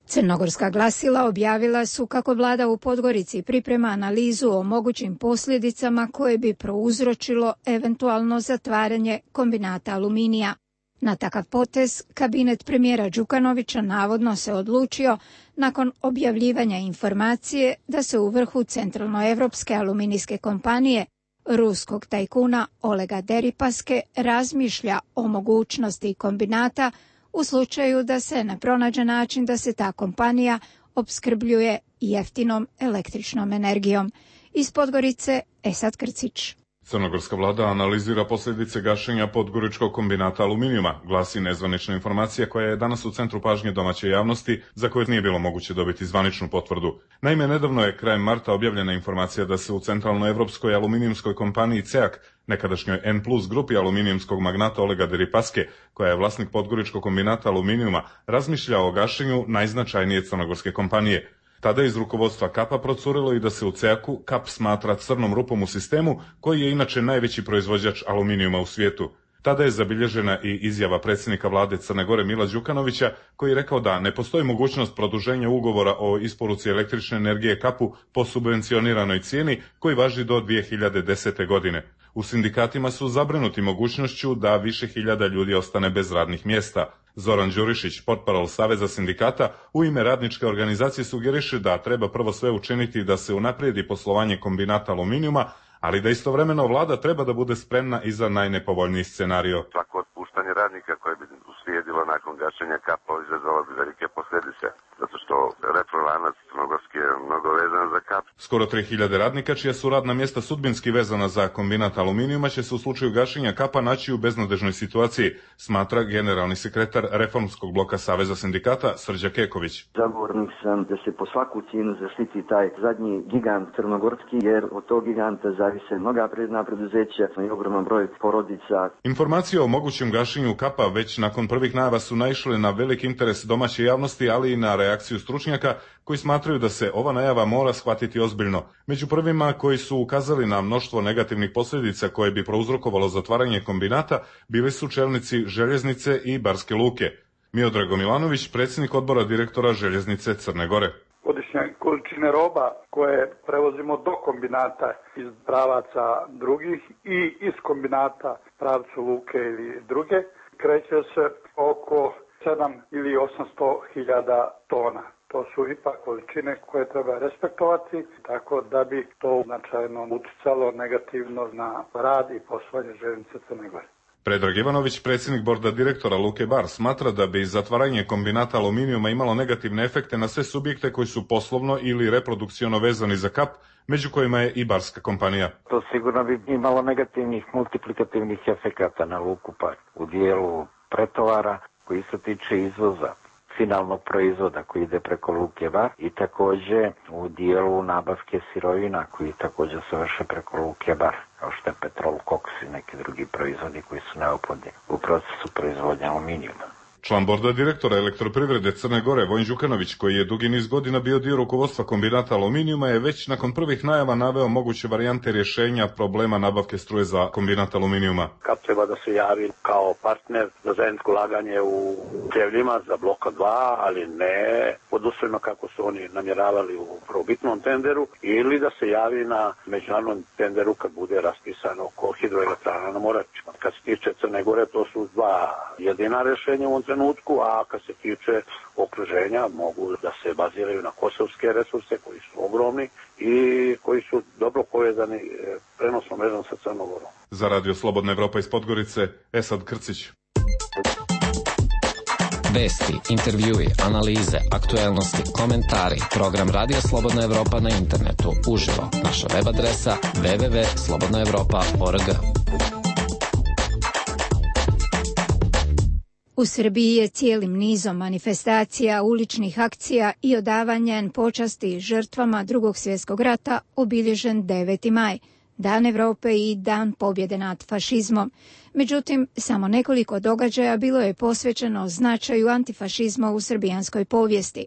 Crnogorska glasila objavila su kako vlada u Podgorici priprema analizu o mogućim posljedicama koje bi prouzročilo eventualno zatvaranje kombinata aluminija. Na takav potez kabinet premijera Đukanovića navodno se odlučio nakon objavljivanja informacije da se u vrhu centralnoevropske aluminijske kompanije ruskog tajkuna Olega Deripaske razmišlja o mogućnosti kombinata u slučaju da se ne pronađe način da se ta kompanija opskrbljuje jeftinom električnom energijom. Iz Podgorice Esad Krcić. Crnogorska vlada analizira posljedice gašenja Podgoričkog kombinata aluminijuma, glasi nezvanična informacija koja je danas u centru pažnje domaće javnosti, za koju nije bilo moguće dobiti zvaničnu potvrdu. Naime, nedavno je krajem marta objavljena informacija da se u centralnoevropskoj aluminijumskoj kompaniji C E A K, nekadašnjoj N plus grupi aluminijumskog magnata Olega Deripaske, koja je vlasnik Podgoričkog kombinata aluminijuma, razmišlja o gašenju najznačajnije crnogorske kompanije. Tada je iz rukovodstva Kapa procurilo i da se u C E A K-u Kap smatra crnom rupom u sistemu, koji je inače najveći proizvođač aluminijuma u svijetu. Tada je zabilježena i izjava predsjednika vlade Crne Gore Mila Đukanovića, koji je rekao da ne postoji mogućnost produženja ugovora o isporuci električne energije Kapu po subvencioniranoj cijeni koji važi do dvije hiljade desete. godine. U sindikatima su zabrinuti mogućnošću da više hiljada ljudi ostane bez radnih mjesta. Zoran Đurišić, portparol Saveza sindikata, u ime radničke organizacije sugeriše da treba prvo sve učiniti da se unaprijedi poslovanje kombinata aluminijuma, ali da istovremeno vlada treba da bude spremna i za najnepovoljniji scenario. Svako otpuštanje radnika koje bi uslijedilo nakon gašenja Kapa izazvalo bi velike posljedice, zato što retrolanac crnogorski je mnogo vezan za Kap. Skoro tri hiljade radnika čija su radna mjesta sudbinski vezana za kombinat aluminijuma će se u slučaju gašenja Kapa naći u beznadežnoj situaciji, smatra generalni sekretar reformskog bloka Saveza sindikata Srđa Keković. Zagovornik sam da se po svaku cijenu zaštiti taj zadnji gigant crnogorski, jer od tog giganta zavise mnoga predna preduzeća i ogroman broj porodica. Informacije o mogućem gašenju Kapa već nakon prvih najava su naišle na velik interes domaće javnosti, ali i na reakciju stručnjaka koji smatraju da se ova najava mora shvatiti ozbiljno. Među prvima koji su ukazali na mnoštvo negativnih posljedica koje bi prouzrokovalo zatvaranje kombinata bili su čelnici Željeznice i Barske Luke. Miodrago Milanović, predsjednik odbora direktora Željeznice Crne Gore. Godišnje količine roba koje prevozimo do kombinata iz pravaca drugih i iz kombinata pravcu Luke ili druge kreće se oko sedam ili osamsto hiljada tona. To su ipak količine koje treba respektovati, tako da bi to značajno uticalo negativno na rad i poslovanje Željeznice Crne Gore. Predrag Ivanović, predsjednik borda direktora Luke Bar, smatra da bi zatvaranje kombinata aluminijuma imalo negativne efekte na sve subjekte koji su poslovno ili reprodukciono vezani za Kap, među kojima je i barska kompanija. To sigurno bi imalo negativnih multiplikativnih efekata na Luku Bar u dijelu pretovara koji se tiče izvoza. finalnog proizvoda koji ide preko Luke Bar i takođe u dijelu nabavke sirovina koji takođe se vrše preko Luke Bar, kao što je petrol, koks i neki drugi proizvodi koji su neophodni u procesu proizvodnje aluminijuma. Član borda direktora Elektroprivrede Crne Gore Vojin Đukanović, koji je dugi niz godina bio dio rukovodstva kombinata aluminijuma, je već nakon prvih najava naveo moguće varijante rješenja problema nabavke struje za kombinat aluminijuma. Kap treba da se javi kao partner za zajedničko ulaganje u Cevljima za bloka dva, ali ne pod uslovima kako su oni namjeravali u prvobitnom tenderu, ili da se javi na međunarodnom tenderu kad bude raspisano oko hidroelektrana na Moračima. Kad se tiče Crne Gore, to su dva jedina rješenja u trenutku, a kad se tiče okruženja mogu da se baziraju na kosovske resurse koji su ogromni i koji su dobro povezani prenosnom mrežom sa Crnom Gorom. Za Radio Slobodna Evropa iz Podgorice, Esad Krcić. Vesti, intervjui, analize, aktuelnosti, komentari, program Radio Slobodna Evropa na internetu, uživo, naša web adresa w w w tačka slobodna evropa tačka org. U Srbiji je cijelim nizom manifestacija, uličnih akcija i odavanja počasti žrtvama Drugog svjetskog rata obilježen deveti maj, Dan Evrope i Dan pobjede nad fašizmom. Međutim, samo nekoliko događaja bilo je posvećeno značaju antifašizma u srbijanskoj povijesti.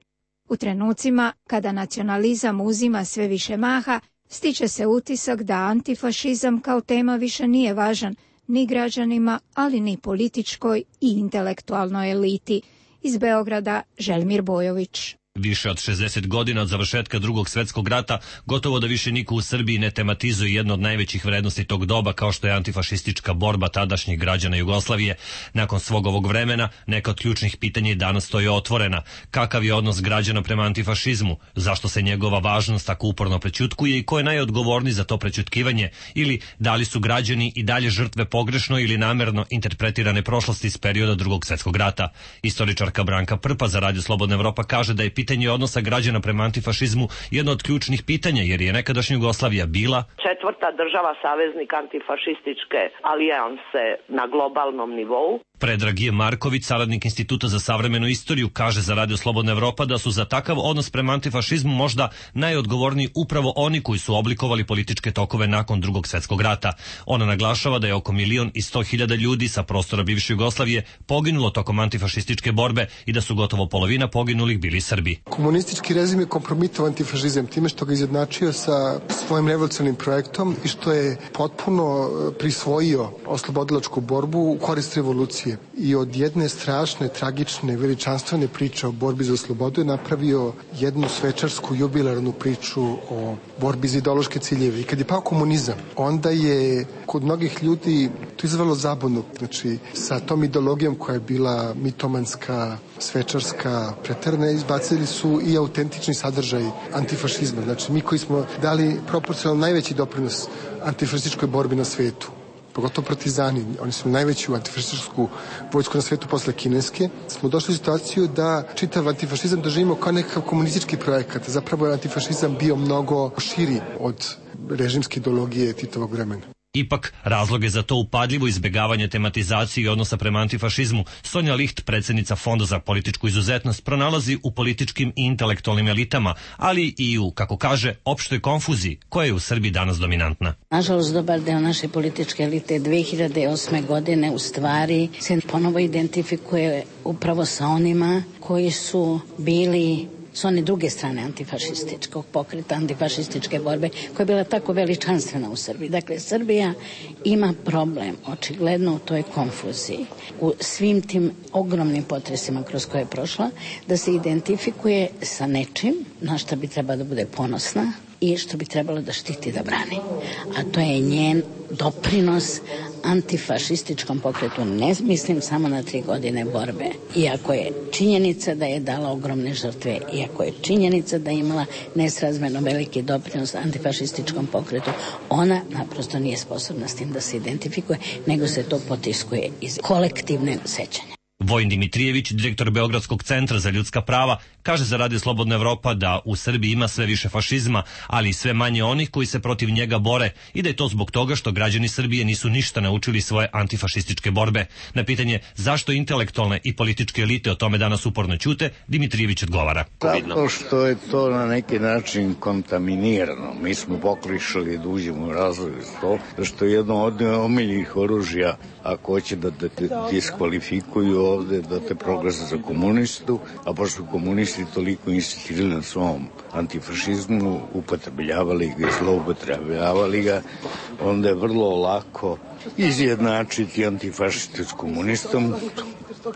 U trenucima kada nacionalizam uzima sve više maha, stiče se utisak da antifašizam kao tema više nije važan ni građanima, ali ni političkoj i intelektualnoj eliti. Iz Beograda, Želimir Bojović. Više od šezdeset godina od završetka Drugog svjetskog rata, gotovo da više niko u Srbiji ne tematizuje jedno od najvećih vrednosti tog doba, kao što je antifašistička borba tadašnjih građana Jugoslavije. Nakon svog ovog vremena, neka od ključnih pitanja i danas stoje otvorena. Kakav je odnos građana prema antifašizmu? Zašto se njegova važnost tako uporno prećutkuje i ko je najodgovorniji za to prećutkivanje? Ili da li su građani i dalje žrtve pogrešno ili namerno interpretirane prošlosti iz perioda Drugog svjetskog rata? Istoričarka Branka Prpa za Radio Slobodna Evropa kaže da je pitanje odnosa građana prema antifašizmu jedno od ključnih pitanja, jer je nekadašnja Jugoslavija bila četvrta država saveznik antifašističke alijanse na globalnom nivou. Predrag J. Marković, saradnik Instituta za savremenu istoriju, kaže za Radio Slobodna Evropa da su za takav odnos prema antifašizmu možda najodgovorniji upravo oni koji su oblikovali političke tokove nakon Drugog svjetskog rata. Ona naglašava da je oko milion i sto hiljada ljudi sa prostora bivše Jugoslavije poginulo tokom antifašističke borbe i da su gotovo polovina poginulih bili Srbi. Komunistički režim je kompromitovao antifašizam time što ga izjednačio sa svojim revolucionarnim projektom i što je potpuno prisvojio oslobodilačku borbu u korist revolucije. I od jedne strašne, tragične, veličanstvene priče o borbi za slobodu je napravio jednu svečarsku jubilarnu priču o borbi za ideološke ciljeve. I kad je pao komunizam, onda je kod mnogih ljudi to izvelo zabunu. Znači, sa tom ideologijom koja je bila mitomanska, svečarska, preterana, izbacili su i autentični sadržaj antifašizma. Znači, mi koji smo dali proporcionalno najveći doprinos antifašističkoj borbi na svetu, pogotovo partizani, oni su najveću antifašističku vojsku na svetu posle kineske, smo došli u situaciju da čitav antifašizam doživimo kao nekakav komunistički projekat. Zapravo je antifašizam bio mnogo širi od režimske ideologije Titovog vremena. Ipak, razloge za to upadljivo izbjegavanje tematizacije i odnosa prema antifašizmu Sonja Licht, predsjednica Fonda za političku izuzetnost, pronalazi u političkim i intelektualnim elitama, ali i u, kako kaže, opštoj konfuziji koja je u Srbiji danas dominantna. Nažalost, dobar deo naše političke elite dve hiljade osme godine u stvari se ponovo identifikuje upravo sa onima koji su bili s one druge strane antifašističkog pokreta, antifašističke borbe, koja je bila tako veličanstvena u Srbiji. Dakle, Srbija ima problem, očigledno u toj konfuziji, u svim tim ogromnim potresima kroz koje je prošla, da se identifikuje sa nečim na što bi trebala da bude ponosna i što bi trebalo da štiti da brani. A to je njen doprinos antifašističkom pokretu. Ne mislim samo na tri godine borbe. Iako je činjenica da je dala ogromne žrtve, iako je činjenica da je imala nesrazmjerno veliki doprinos antifašističkom pokretu, ona naprosto nije sposobna s tim da se identifikuje, nego se to potiskuje iz kolektivne sećanja. Vojin Dimitrijević, direktor Beogradskog centra za ljudska prava, kaže za Radio Slobodna Evropa da u Srbiji ima sve više fašizma, ali i sve manje onih koji se protiv njega bore i da je to zbog toga što građani Srbije nisu ništa naučili svoje antifašističke borbe. Na pitanje zašto intelektualne i političke elite o tome danas uporno ćute, Dimitrijević odgovara. Zato što je to na neki način kontaminirano. Mi smo poklišali da uđemo u razvoj to, što je jedno od omiljenih oružja, ako hoće da te diskvalifikuju ovde, da te proglase za komunistu, a pošto komunisti toliko insistirali na svom antifašizmu, upotrebljavali ga i zloupotrebljavali ga, onda je vrlo lako izjednačiti antifašiste s komunistom.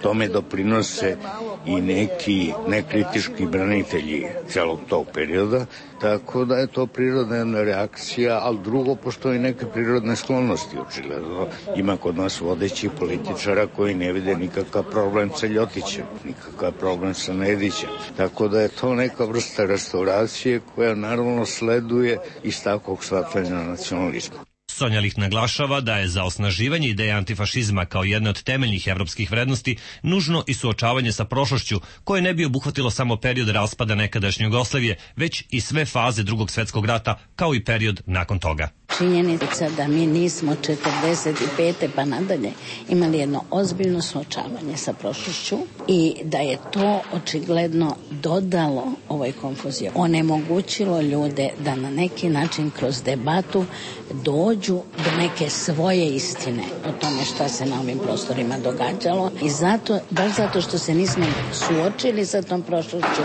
Tome doprinose i neki nekritički branitelji celog tog perioda, tako da je to prirodna jedna reakcija, ali drugo, postoji neke prirodne sklonosti, očigledno. Ima kod nas vodećih političara koji ne vide nikakav problem sa Ljotićem, nikakav problem sa Nedićem. Tako da je to neka vrsta restauracije koja naravno sleduje iz takvog shvatanja nacionalizma. Sonja Licht naglašava da je za osnaživanje ideje antifašizma kao jedne od temeljnih evropskih vrednosti nužno i suočavanje sa prošlošću koje ne bi obuhvatilo samo period raspada nekadašnje Jugoslavije, već i sve faze Drugog svjetskog rata kao i period nakon toga. Činjenica da mi nismo četrdeset pete pa nadalje imali jedno ozbiljno suočavanje sa prošlošću i da je to očigledno dodalo ovoj konfuziji. Onemogućilo ljude da na neki način kroz debatu dođu do neke svoje istine o tome šta se na ovim prostorima događalo i zato, baš zato što se nismo suočili sa tom prošlošću,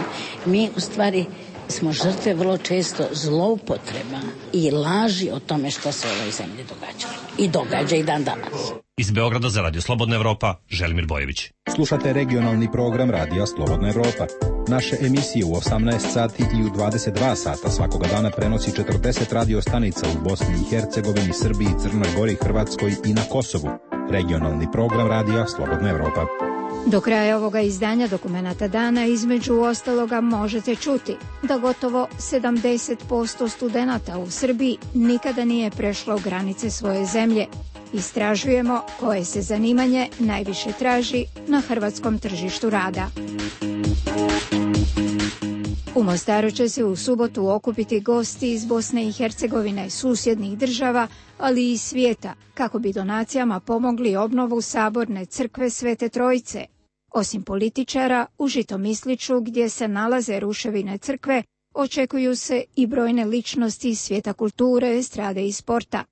mi u stvari smo žrtve vrlo često zloupotreba i laži o tome što se u ovoj zemlji događalo. I događa i dan danas. Iz Beograda za Radio Slobodna Evropa, Želimir Bojević. Slušate regionalni program Radija Slobodna Evropa. Naše emisije u osamnaest sati i u dvadeset dva sata svakoga dana prenosi četrdeset radio stanica u Bosni i Hercegovini, Srbiji, Crnoj Gori, Hrvatskoj i na Kosovu. Regionalni program Radija Slobodna Evropa. Do kraja ovoga izdanja Dokumenata dana između ostaloga možete čuti da gotovo sedamdeset posto studenata u Srbiji nikada nije prešlo granice svoje zemlje. Istražujemo koje se zanimanje najviše traži na hrvatskom tržištu rada. U Mostaru će se u subotu okupiti gosti iz Bosne i Hercegovine, susjednih država, ali i svijeta, kako bi donacijama pomogli obnovu Saborne crkve Svete Trojice. Osim političara, u Žitomisliću, gdje se nalaze ruševine crkve, očekuju se i brojne ličnosti iz svijeta kulture, estrade i sporta.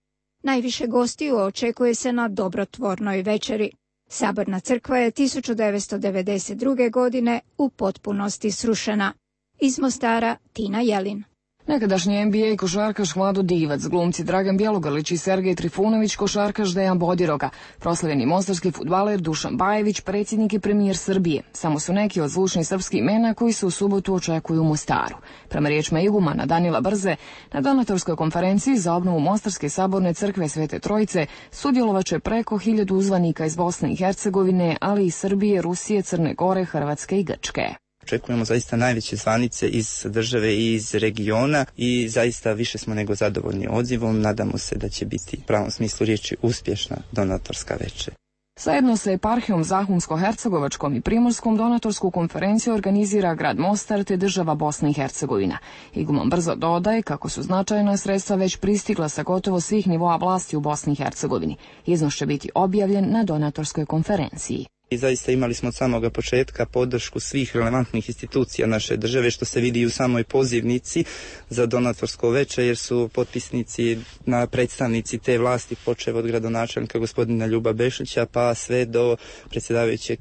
Najviše gostiju očekuje se na dobrotvornoj večeri. Saborna crkva je tisuću devetsto devedeset druge. godine u potpunosti srušena. Iz Mostara, Tina Jelin. Nekadašnji N B A košarkaš Vlado Divac, glumci Dragan Bjelogrlić i Sergej Trifunović, košarkaš Dejan Bodiroga, proslavljeni mostarski fudbaler Dušan Bajević, predsjednik i premijer Srbije. Samo su neki od zvučnih srpskih imena koji se u subotu očekuju u Mostaru. Prema riječima igumana Danila Brze, na donatorskoj konferenciji za obnovu Mostarske saborne crkve Svete Trojice sudjelovaće preko hiljadu uzvanika iz Bosne i Hercegovine, ali i Srbije, Rusije, Crne Gore, Hrvatske i Grčke. Očekujemo zaista najveće zvanice iz države i iz regiona i zaista više smo nego zadovoljni odzivom. Nadamo se da će biti u pravom smislu riječi uspješna donatorska večer. Zajedno sa eparhijom Zahumsko-Hercegovačkom i Primorskom donatorsku konferenciju organizira grad Mostar te država Bosna i Hercegovina. Iguman Brzo dodaje kako su značajna sredstva već pristigla sa gotovo svih nivoa vlasti u Bosni i Hercegovini. Iznos će biti objavljen na donatorskoj konferenciji. I zaista imali smo od samoga početka podršku svih relevantnih institucija naše države, što se vidi i u samoj pozivnici za donatorsko veče, jer su potpisnici na predstavnici te vlasti, počev od gradonačelnika gospodina Ljuba Bešlića pa sve do predsjedavajućeg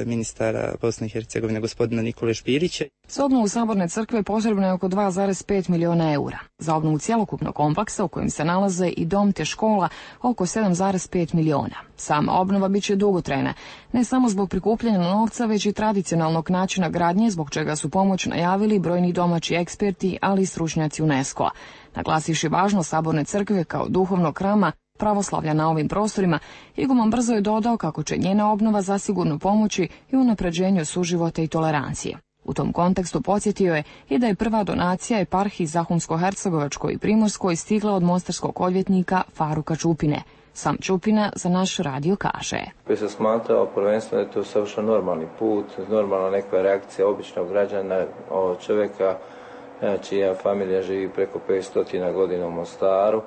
ministara Bosne i Hercegovine gospodina Nikole Špirića. Za obnovu Saborne crkve potrebno je oko dva zarez pet miliona eura. Za obnovu cjelokupnog kompleksa u kojem se nalaze i dom te škola oko sedam zarez pet miliona. Sama obnova bit će dugotrajna, ne samo zbog prikupljanja novca, već i tradicionalnog načina gradnje, zbog čega su pomoć najavili brojni domaći eksperti, ali i stručnjaci UNESCO-a. Naglasivši važnost Saborne crkve kao duhovnog hrama pravoslavlja na ovim prostorima, iguman Brzo je dodao kako će njena obnova zasigurno pomoći i unapređenju suživota i tolerancije. U tom kontekstu podsjetio je i da je prva donacija eparhiji Zahumsko-Hercegovačkoj i Primorskoj stigla od mostarskog odvjetnika Faruka Čupine. Sam Ćupina za naš radio kaže. Koji se smatrao prvenstveno da je to savršeno normalni put, normalna neka reakcija običnog građana, ovog čovjeka čija familija živi preko petsto godina u Mostaru,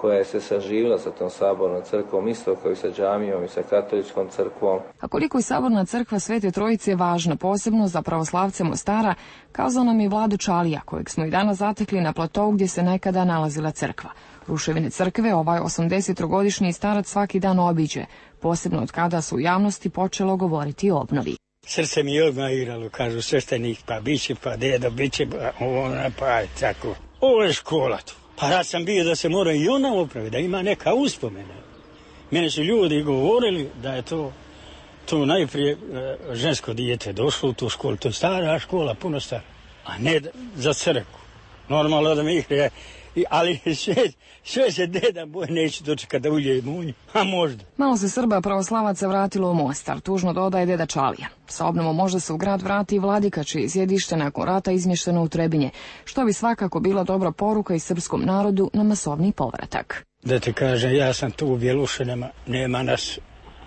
koja je se saživila sa tom sabornom crkvom, isto kao i sa džamijom i sa katoličkom crkvom. A koliko je saborna crkva Svete Trojice važna posebno za pravoslavce Mostara, kazao nam je Vlado Čalija, kojeg smo i danas zatekli na platovu gdje se nekada nalazila crkva. Ruševine crkve ovaj osamdesetogodišnji starac svaki dan obiđe, posebno od kada su u javnosti počelo govoriti o obnovi. Srce mi je odmah igralo, kažu sveštenik, pa biće, pa dedo, biće, pa ona, pa tako. Ovo je škola tu. Pa ja sam bio da se mora i ona opravi, da ima neka uspomena. Mene su ljudi govorili da je to, to najprije žensko dijete došlo u tu školu. To je stara škola, puno stara, a ne za crkvu. Normalno da mi ih, ali sve, sve se deda boje neće dočekati da ulje munju, a možda. Malo se Srba pravoslavaca vratilo u Mostar, tužno dodaje deda Čalija. Sa obnovom možda se u grad vrati i Vladika, čije je sjedište nakon rata izmješteno u Trebinje, što bi svakako bila dobra poruka i srpskom narodu na masovni povratak. Da te kažem, ja sam tu u Bjelušinama, nema nas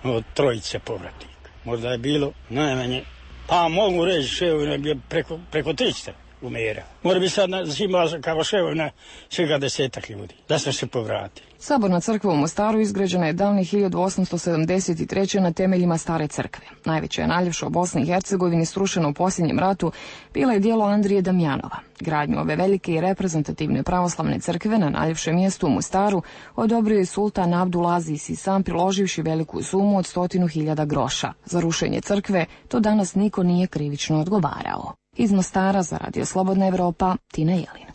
od trojice povratnika. Možda je bilo najmanje, pa mogu reći ševo preko, preko triста. Umera. Mora bi sad imala kao ševovina svega desetak ljudi, da smo se povratili. Saborna crkva u Mostaru izgrađena je davne hiljadu osamsto sedamdeset treće na temeljima stare crkve. Najveća je naljepša u Bosni i Hercegovini, srušena u posljednjem ratu, bila je djelo Andrije Damjanova. Gradnju ove velike i reprezentativne pravoslavne crkve na najljepšem mjestu u Mostaru odobrio je sultan Abdulaziz i sam priloživši veliku sumu od stotinu hiljada groša. Za rušenje crkve to danas niko nije krivično odgovarao. Iz Mostara za Radio Slobodna Evropa, Tina Jelin.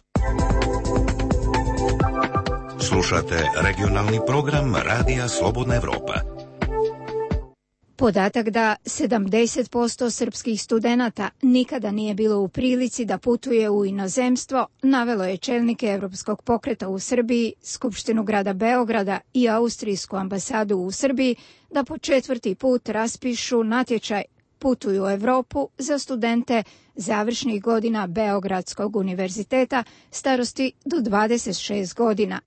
Slušate regionalni program Radija Slobodna Evropa. Podatak da sedamdeset posto srpskih studenata nikada nije bilo u prilici da putuje u inozemstvo, navelo je čelnike Evropskog pokreta u Srbiji, Skupštinu grada Beograda i Austrijsku ambasadu u Srbiji da po četvrti put raspišu natječaj Putuju u Evropu za studente završnih godina Beogradskog univerziteta starosti do dvadeset šest godina.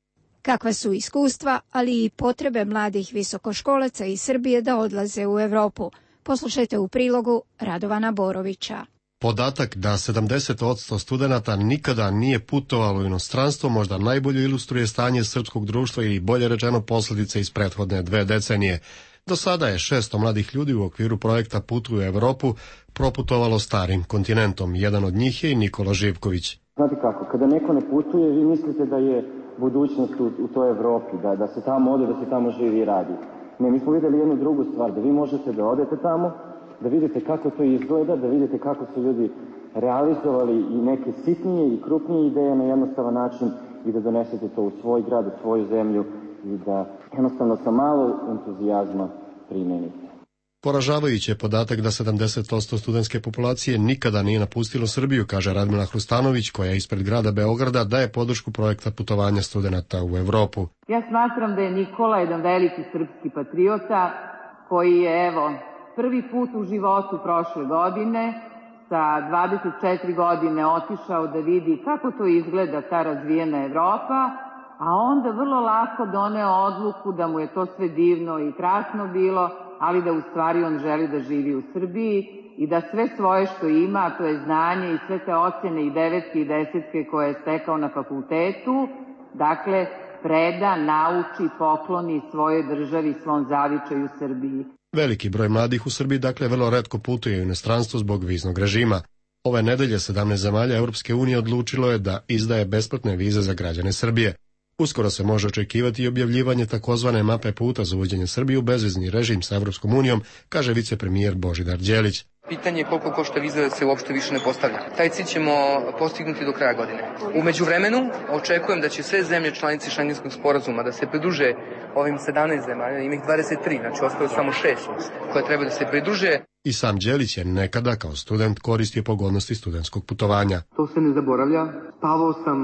Kakva su iskustva, ali i potrebe mladih visokoškolaca iz Srbije da odlaze u Evropu? Poslušajte u prilogu Radovana Borovića. Podatak da sedamdeset posto studenata nikada nije putovalo u inostranstvo možda najbolje ilustruje stanje srpskog društva ili bolje rečeno posljedice iz prethodne dve decenije. Do sada je šesto mladih ljudi u okviru projekta Putuju u Evropu proputovalo starim kontinentom. Jedan od njih je i Nikola Živković. Znate kako, kada neko ne putuje, vi mislite da je budućnost u, u toj Evropi, da, da se tamo ode, da se tamo živi i radi. Ne, mi smo vidjeli jednu drugu stvar, da vi možete da odete tamo, da vidite kako to izgleda, da vidite kako su ljudi realizovali i neke sitnije i krupnije ideje na jednostavan način i da donesete to u svoj grad, u svoju zemlju i da jednostavno sa malo entuzijazma primenite. Poražavajući je podatak da sedamdeset posto studentske populacije nikada nije napustilo Srbiju, kaže Radmila Hrustanović, koja je ispred grada Beograda daje podršku projekta putovanja studenata u Evropu. Ja smatram da je Nikola jedan veliki srpski patriota koji je, evo, prvi put u životu prošle godine sa dvadeset četiri godine otišao da vidi kako to izgleda ta razvijena Evropa, a onda vrlo lako doneo odluku da mu je to sve divno i krasno bilo, ali da u stvari on želi da živi u Srbiji i da sve svoje što ima, to je znanje i sve te ocjene i devetke i desetke koje je stekao na fakultetu, dakle, preda, nauči, pokloni svojoj državi, svom zavičaju Srbiji. Veliki broj mladih u Srbiji dakle vrlo retko putuje u inostranstvo zbog viznog režima. Ove nedelje sedamnaest zemalja Europske unije odlučilo je da izdaje besplatne vize za građane Srbije. Uskoro se može očekivati i objavljivanje takozvane mape puta za uvođenje Srbije u bezvizni režim sa Europskom unijom, kaže vicepremijer Božidar Đelić. Pitanje je koliko košta viza se uopšte više ne postavlja. Taj cilj ćemo postignuti do kraja godine. U međuvremenu očekujem da će sve zemlje članice Šengenskog sporazuma da se pridruže ovim sedamnaest zemalja, ima ih dvadeset tri, znači ostalo samo šest koje treba da se pridruže. I sam Đelić je nekada kao student koristio pogodnosti studentskog putovanja. To se ne zaboravlja. Spavao sam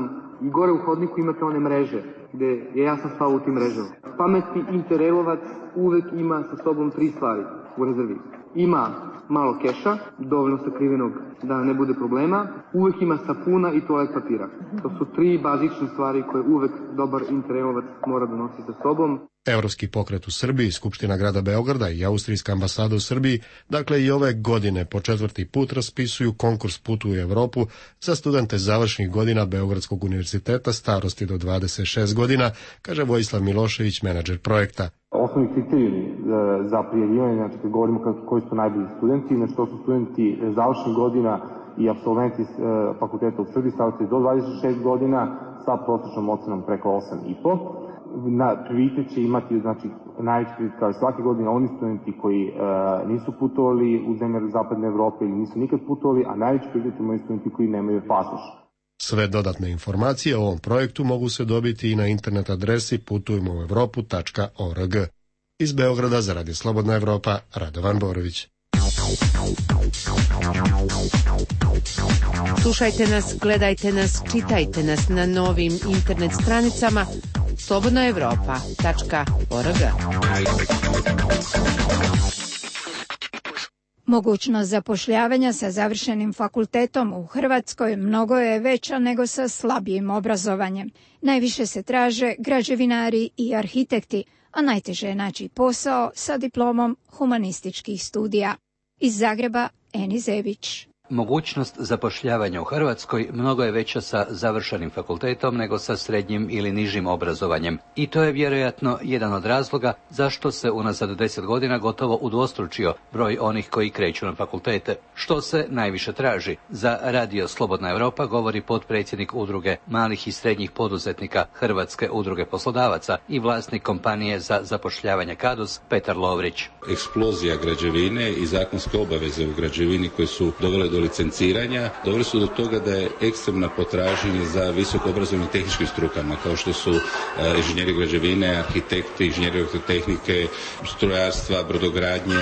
i gore u hodniku imate one mreže, gde je ja sam spavao u tim mrežama. Pametni interrelovac uvek ima sa sobom tri stvari u rezervi. ima malo keša, dovoljno sakrivenog da ne bude problema, uvek ima sapuna i toalet papira. To su tri bazične stvari koje uvek dobar interelovac mora da nosi sa sobom. Evropski pokret u Srbiji, Skupština grada Beograda i Austrijska ambasada u Srbiji, dakle i ove godine po četvrti put raspisuju konkurs Putu u Evropu za studente završnih godina Beogradskog univerziteta starosti do dvadeset šest godina, kaže Vojislav Milošević, menadžer projekta. Osnovni kriterijumi za prijavljivanje, znači kad govorimo koji su najbolji studenti, znači to su studenti završnih godina i apsolventi fakulteta u Srbiji starosti do dvadeset šest godina sa prosječnom ocenom preko osam i po. Na prioritet će imati, znači, najveći prioritet kao i svake godine oni studenti koji e, nisu putovali u zemlje zapadne Evrope ili nisu nikad putovali, a najveći prioritet imaju studenti koji nemaju pasoš. Sve dodatne informacije o ovom projektu mogu se dobiti i na internet adresi putujmo u evropu tačka org. Iz Beograda za Radio Slobodna Evropa, Radovan Borović. Slušajte nas, gledajte nas, čitajte nas na novim internet stranicama slobodna evropa tačka org. Mogućnost zapošljavanja sa završenim fakultetom u Hrvatskoj mnogo je veća nego sa slabijim obrazovanjem. Najviše se traže građevinari i arhitekti, a najteže je naći posao sa diplomom humanističkih studija. Iz Zagreba, Eni Zebić. Mogućnost zapošljavanja u Hrvatskoj mnogo je veća sa završenim fakultetom nego sa srednjim ili nižim obrazovanjem. I to je vjerojatno jedan od razloga zašto se unazad deset godina gotovo udvostručio broj onih koji kreću na fakultete. Što se najviše traži? Za Radio Slobodna Evropa govori potpredsjednik udruge malih i srednjih poduzetnika Hrvatske udruge poslodavaca i vlasnik kompanije za zapošljavanje Kadus, Petar Lovrić. Eksplozija građevine i zakonske obaveze u građevini koje su dovele do licenciranja, doveli su do toga da je ekstremna potražnja za visoko obrazovnim tehničkim strukama, kao što su uh, inženjeri građevine, arhitekti, inženjeri elektrotehnike, strojarstva, brodogradnje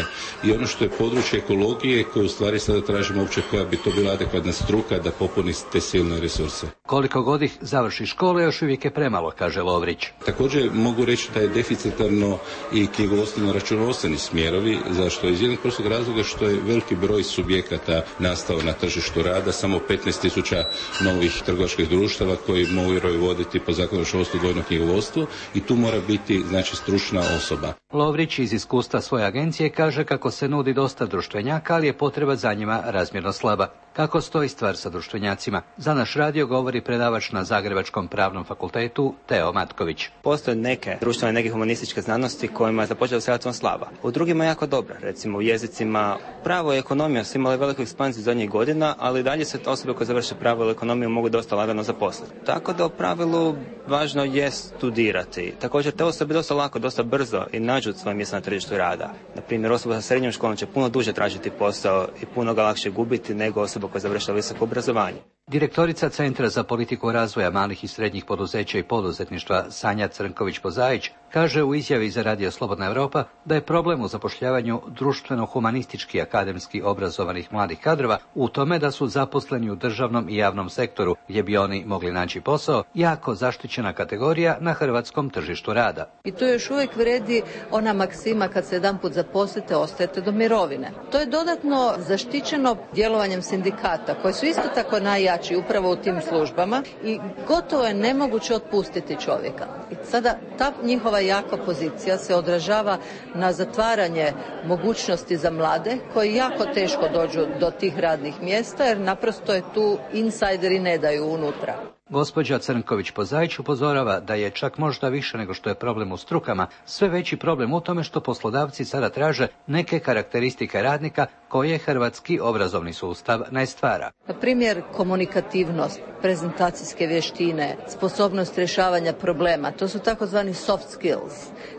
i ono što je područje ekologije koje u stvari sada tražimo uopće koja bi to bila adekvatna struka da popuni te silne resurse. Koliko god ih završi škole, još uvijek je premalo, kaže Lovrić. Također mogu reći da je deficitarno i knjigovodstveno računovodstveni smjerovi, zašto iz jednog prostog razloga što je veliki broj subjekata nastao na tržištu rada, samo petnaest tisuća novih trgovačkih društava koji moraju voditi po zakonu o računovodstvu dvojno knjigovodstvo i tu mora biti, znači, stručna osoba. Lovrić iz iskustva svoje agencije kaže kako se nudi dosta društvenjaka, ali je potreba za njima razmjerno slaba. Kako stoji stvar sa društvenjacima? Za naš radio govori predavač na Zagrebačkom pravnom fakultetu Teo Matković. Postoje neke društvene, neke humanističke znanosti kojima je započela se relativno slaba. U drugima jako dobra, recimo u jezicima. Pravo i ekonomija su imali veliku ekspanziju zadnjih godina, ali dalje se osobe koje završe pravo ili ekonomiju mogu dosta lagano zaposliti. Tako da u pravilu važno je studirati. Također te osobe dosta lako, dosta brzo i nađu svoje mjesto na tržištu rada. Na primjer, osoba sa srednjom školom će puno duže tražiti posao i puno ga lakše gubiti nego osoba koja završila visoko obrazovanje. Direktorica Centra za politiku razvoja malih i srednjih poduzeća i poduzetništva Sanja Crnković-Pozajić kaže u izjavi za Radio Slobodna Evropa da je problem u zapošljavanju društveno-humanistički akademski obrazovanih mladih kadrova u tome da su zaposleni u državnom i javnom sektoru gdje bi oni mogli naći posao, jako zaštićena kategorija na hrvatskom tržištu rada. I tu još uvijek vredi ona maksima kad se jedanput zaposlite, ostajete do mirovine. To je dodatno zaštićeno djelovanjem sindikata koji su isto tako najjači upravo u tim službama i gotovo je nemoguće otpustiti čovjeka. I sada ta njihova jaka pozicija se odražava na zatvaranje mogućnosti za mlade koji jako teško dođu do tih radnih mjesta jer naprosto je tu insajderi ne daju unutra. Gospođa Crnković-Pozajić upozorava da je čak možda više nego što je problem u strukama, sve veći problem u tome što poslodavci sada traže neke karakteristike radnika koje hrvatski obrazovni sustav ne stvara. Na primjer, komunikativnost, prezentacijske vještine, sposobnost rješavanja problema, to su takozvani soft skills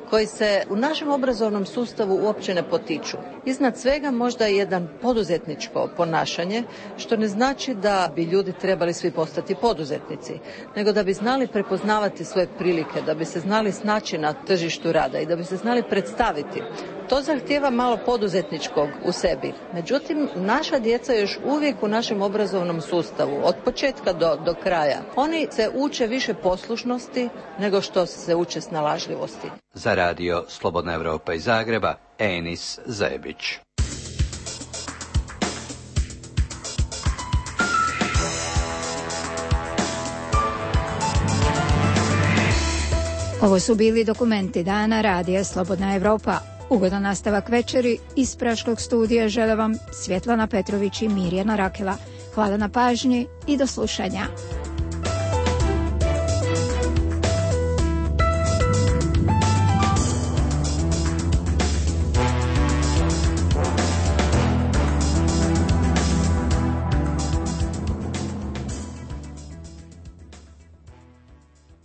koji se u našem obrazovnom sustavu uopće ne potiču. Iznad svega možda je jedan poduzetničko ponašanje, što ne znači da bi ljudi trebali svi postati poduzetnici, nego da bi znali prepoznavati svoje prilike, da bi se znali snaći na tržištu rada i da bi se znali predstaviti. To zahtijeva malo poduzetničkog u sebi. Međutim, naša djeca još uvijek u našem obrazovnom sustavu, od početka do, do kraja, oni se uče više poslušnosti nego što se uče snalažljivosti. Za Radio Slobodna Evropa iz Zagreba, Enis Zebić. Ovo su bili dokumenti dana Radija Slobodna Evropa. Ugodan nastavak večeri iz Praškog studija žele vam Svjetlana Petrović i Mirjana Rakela. Hvala na pažnji i do slušanja.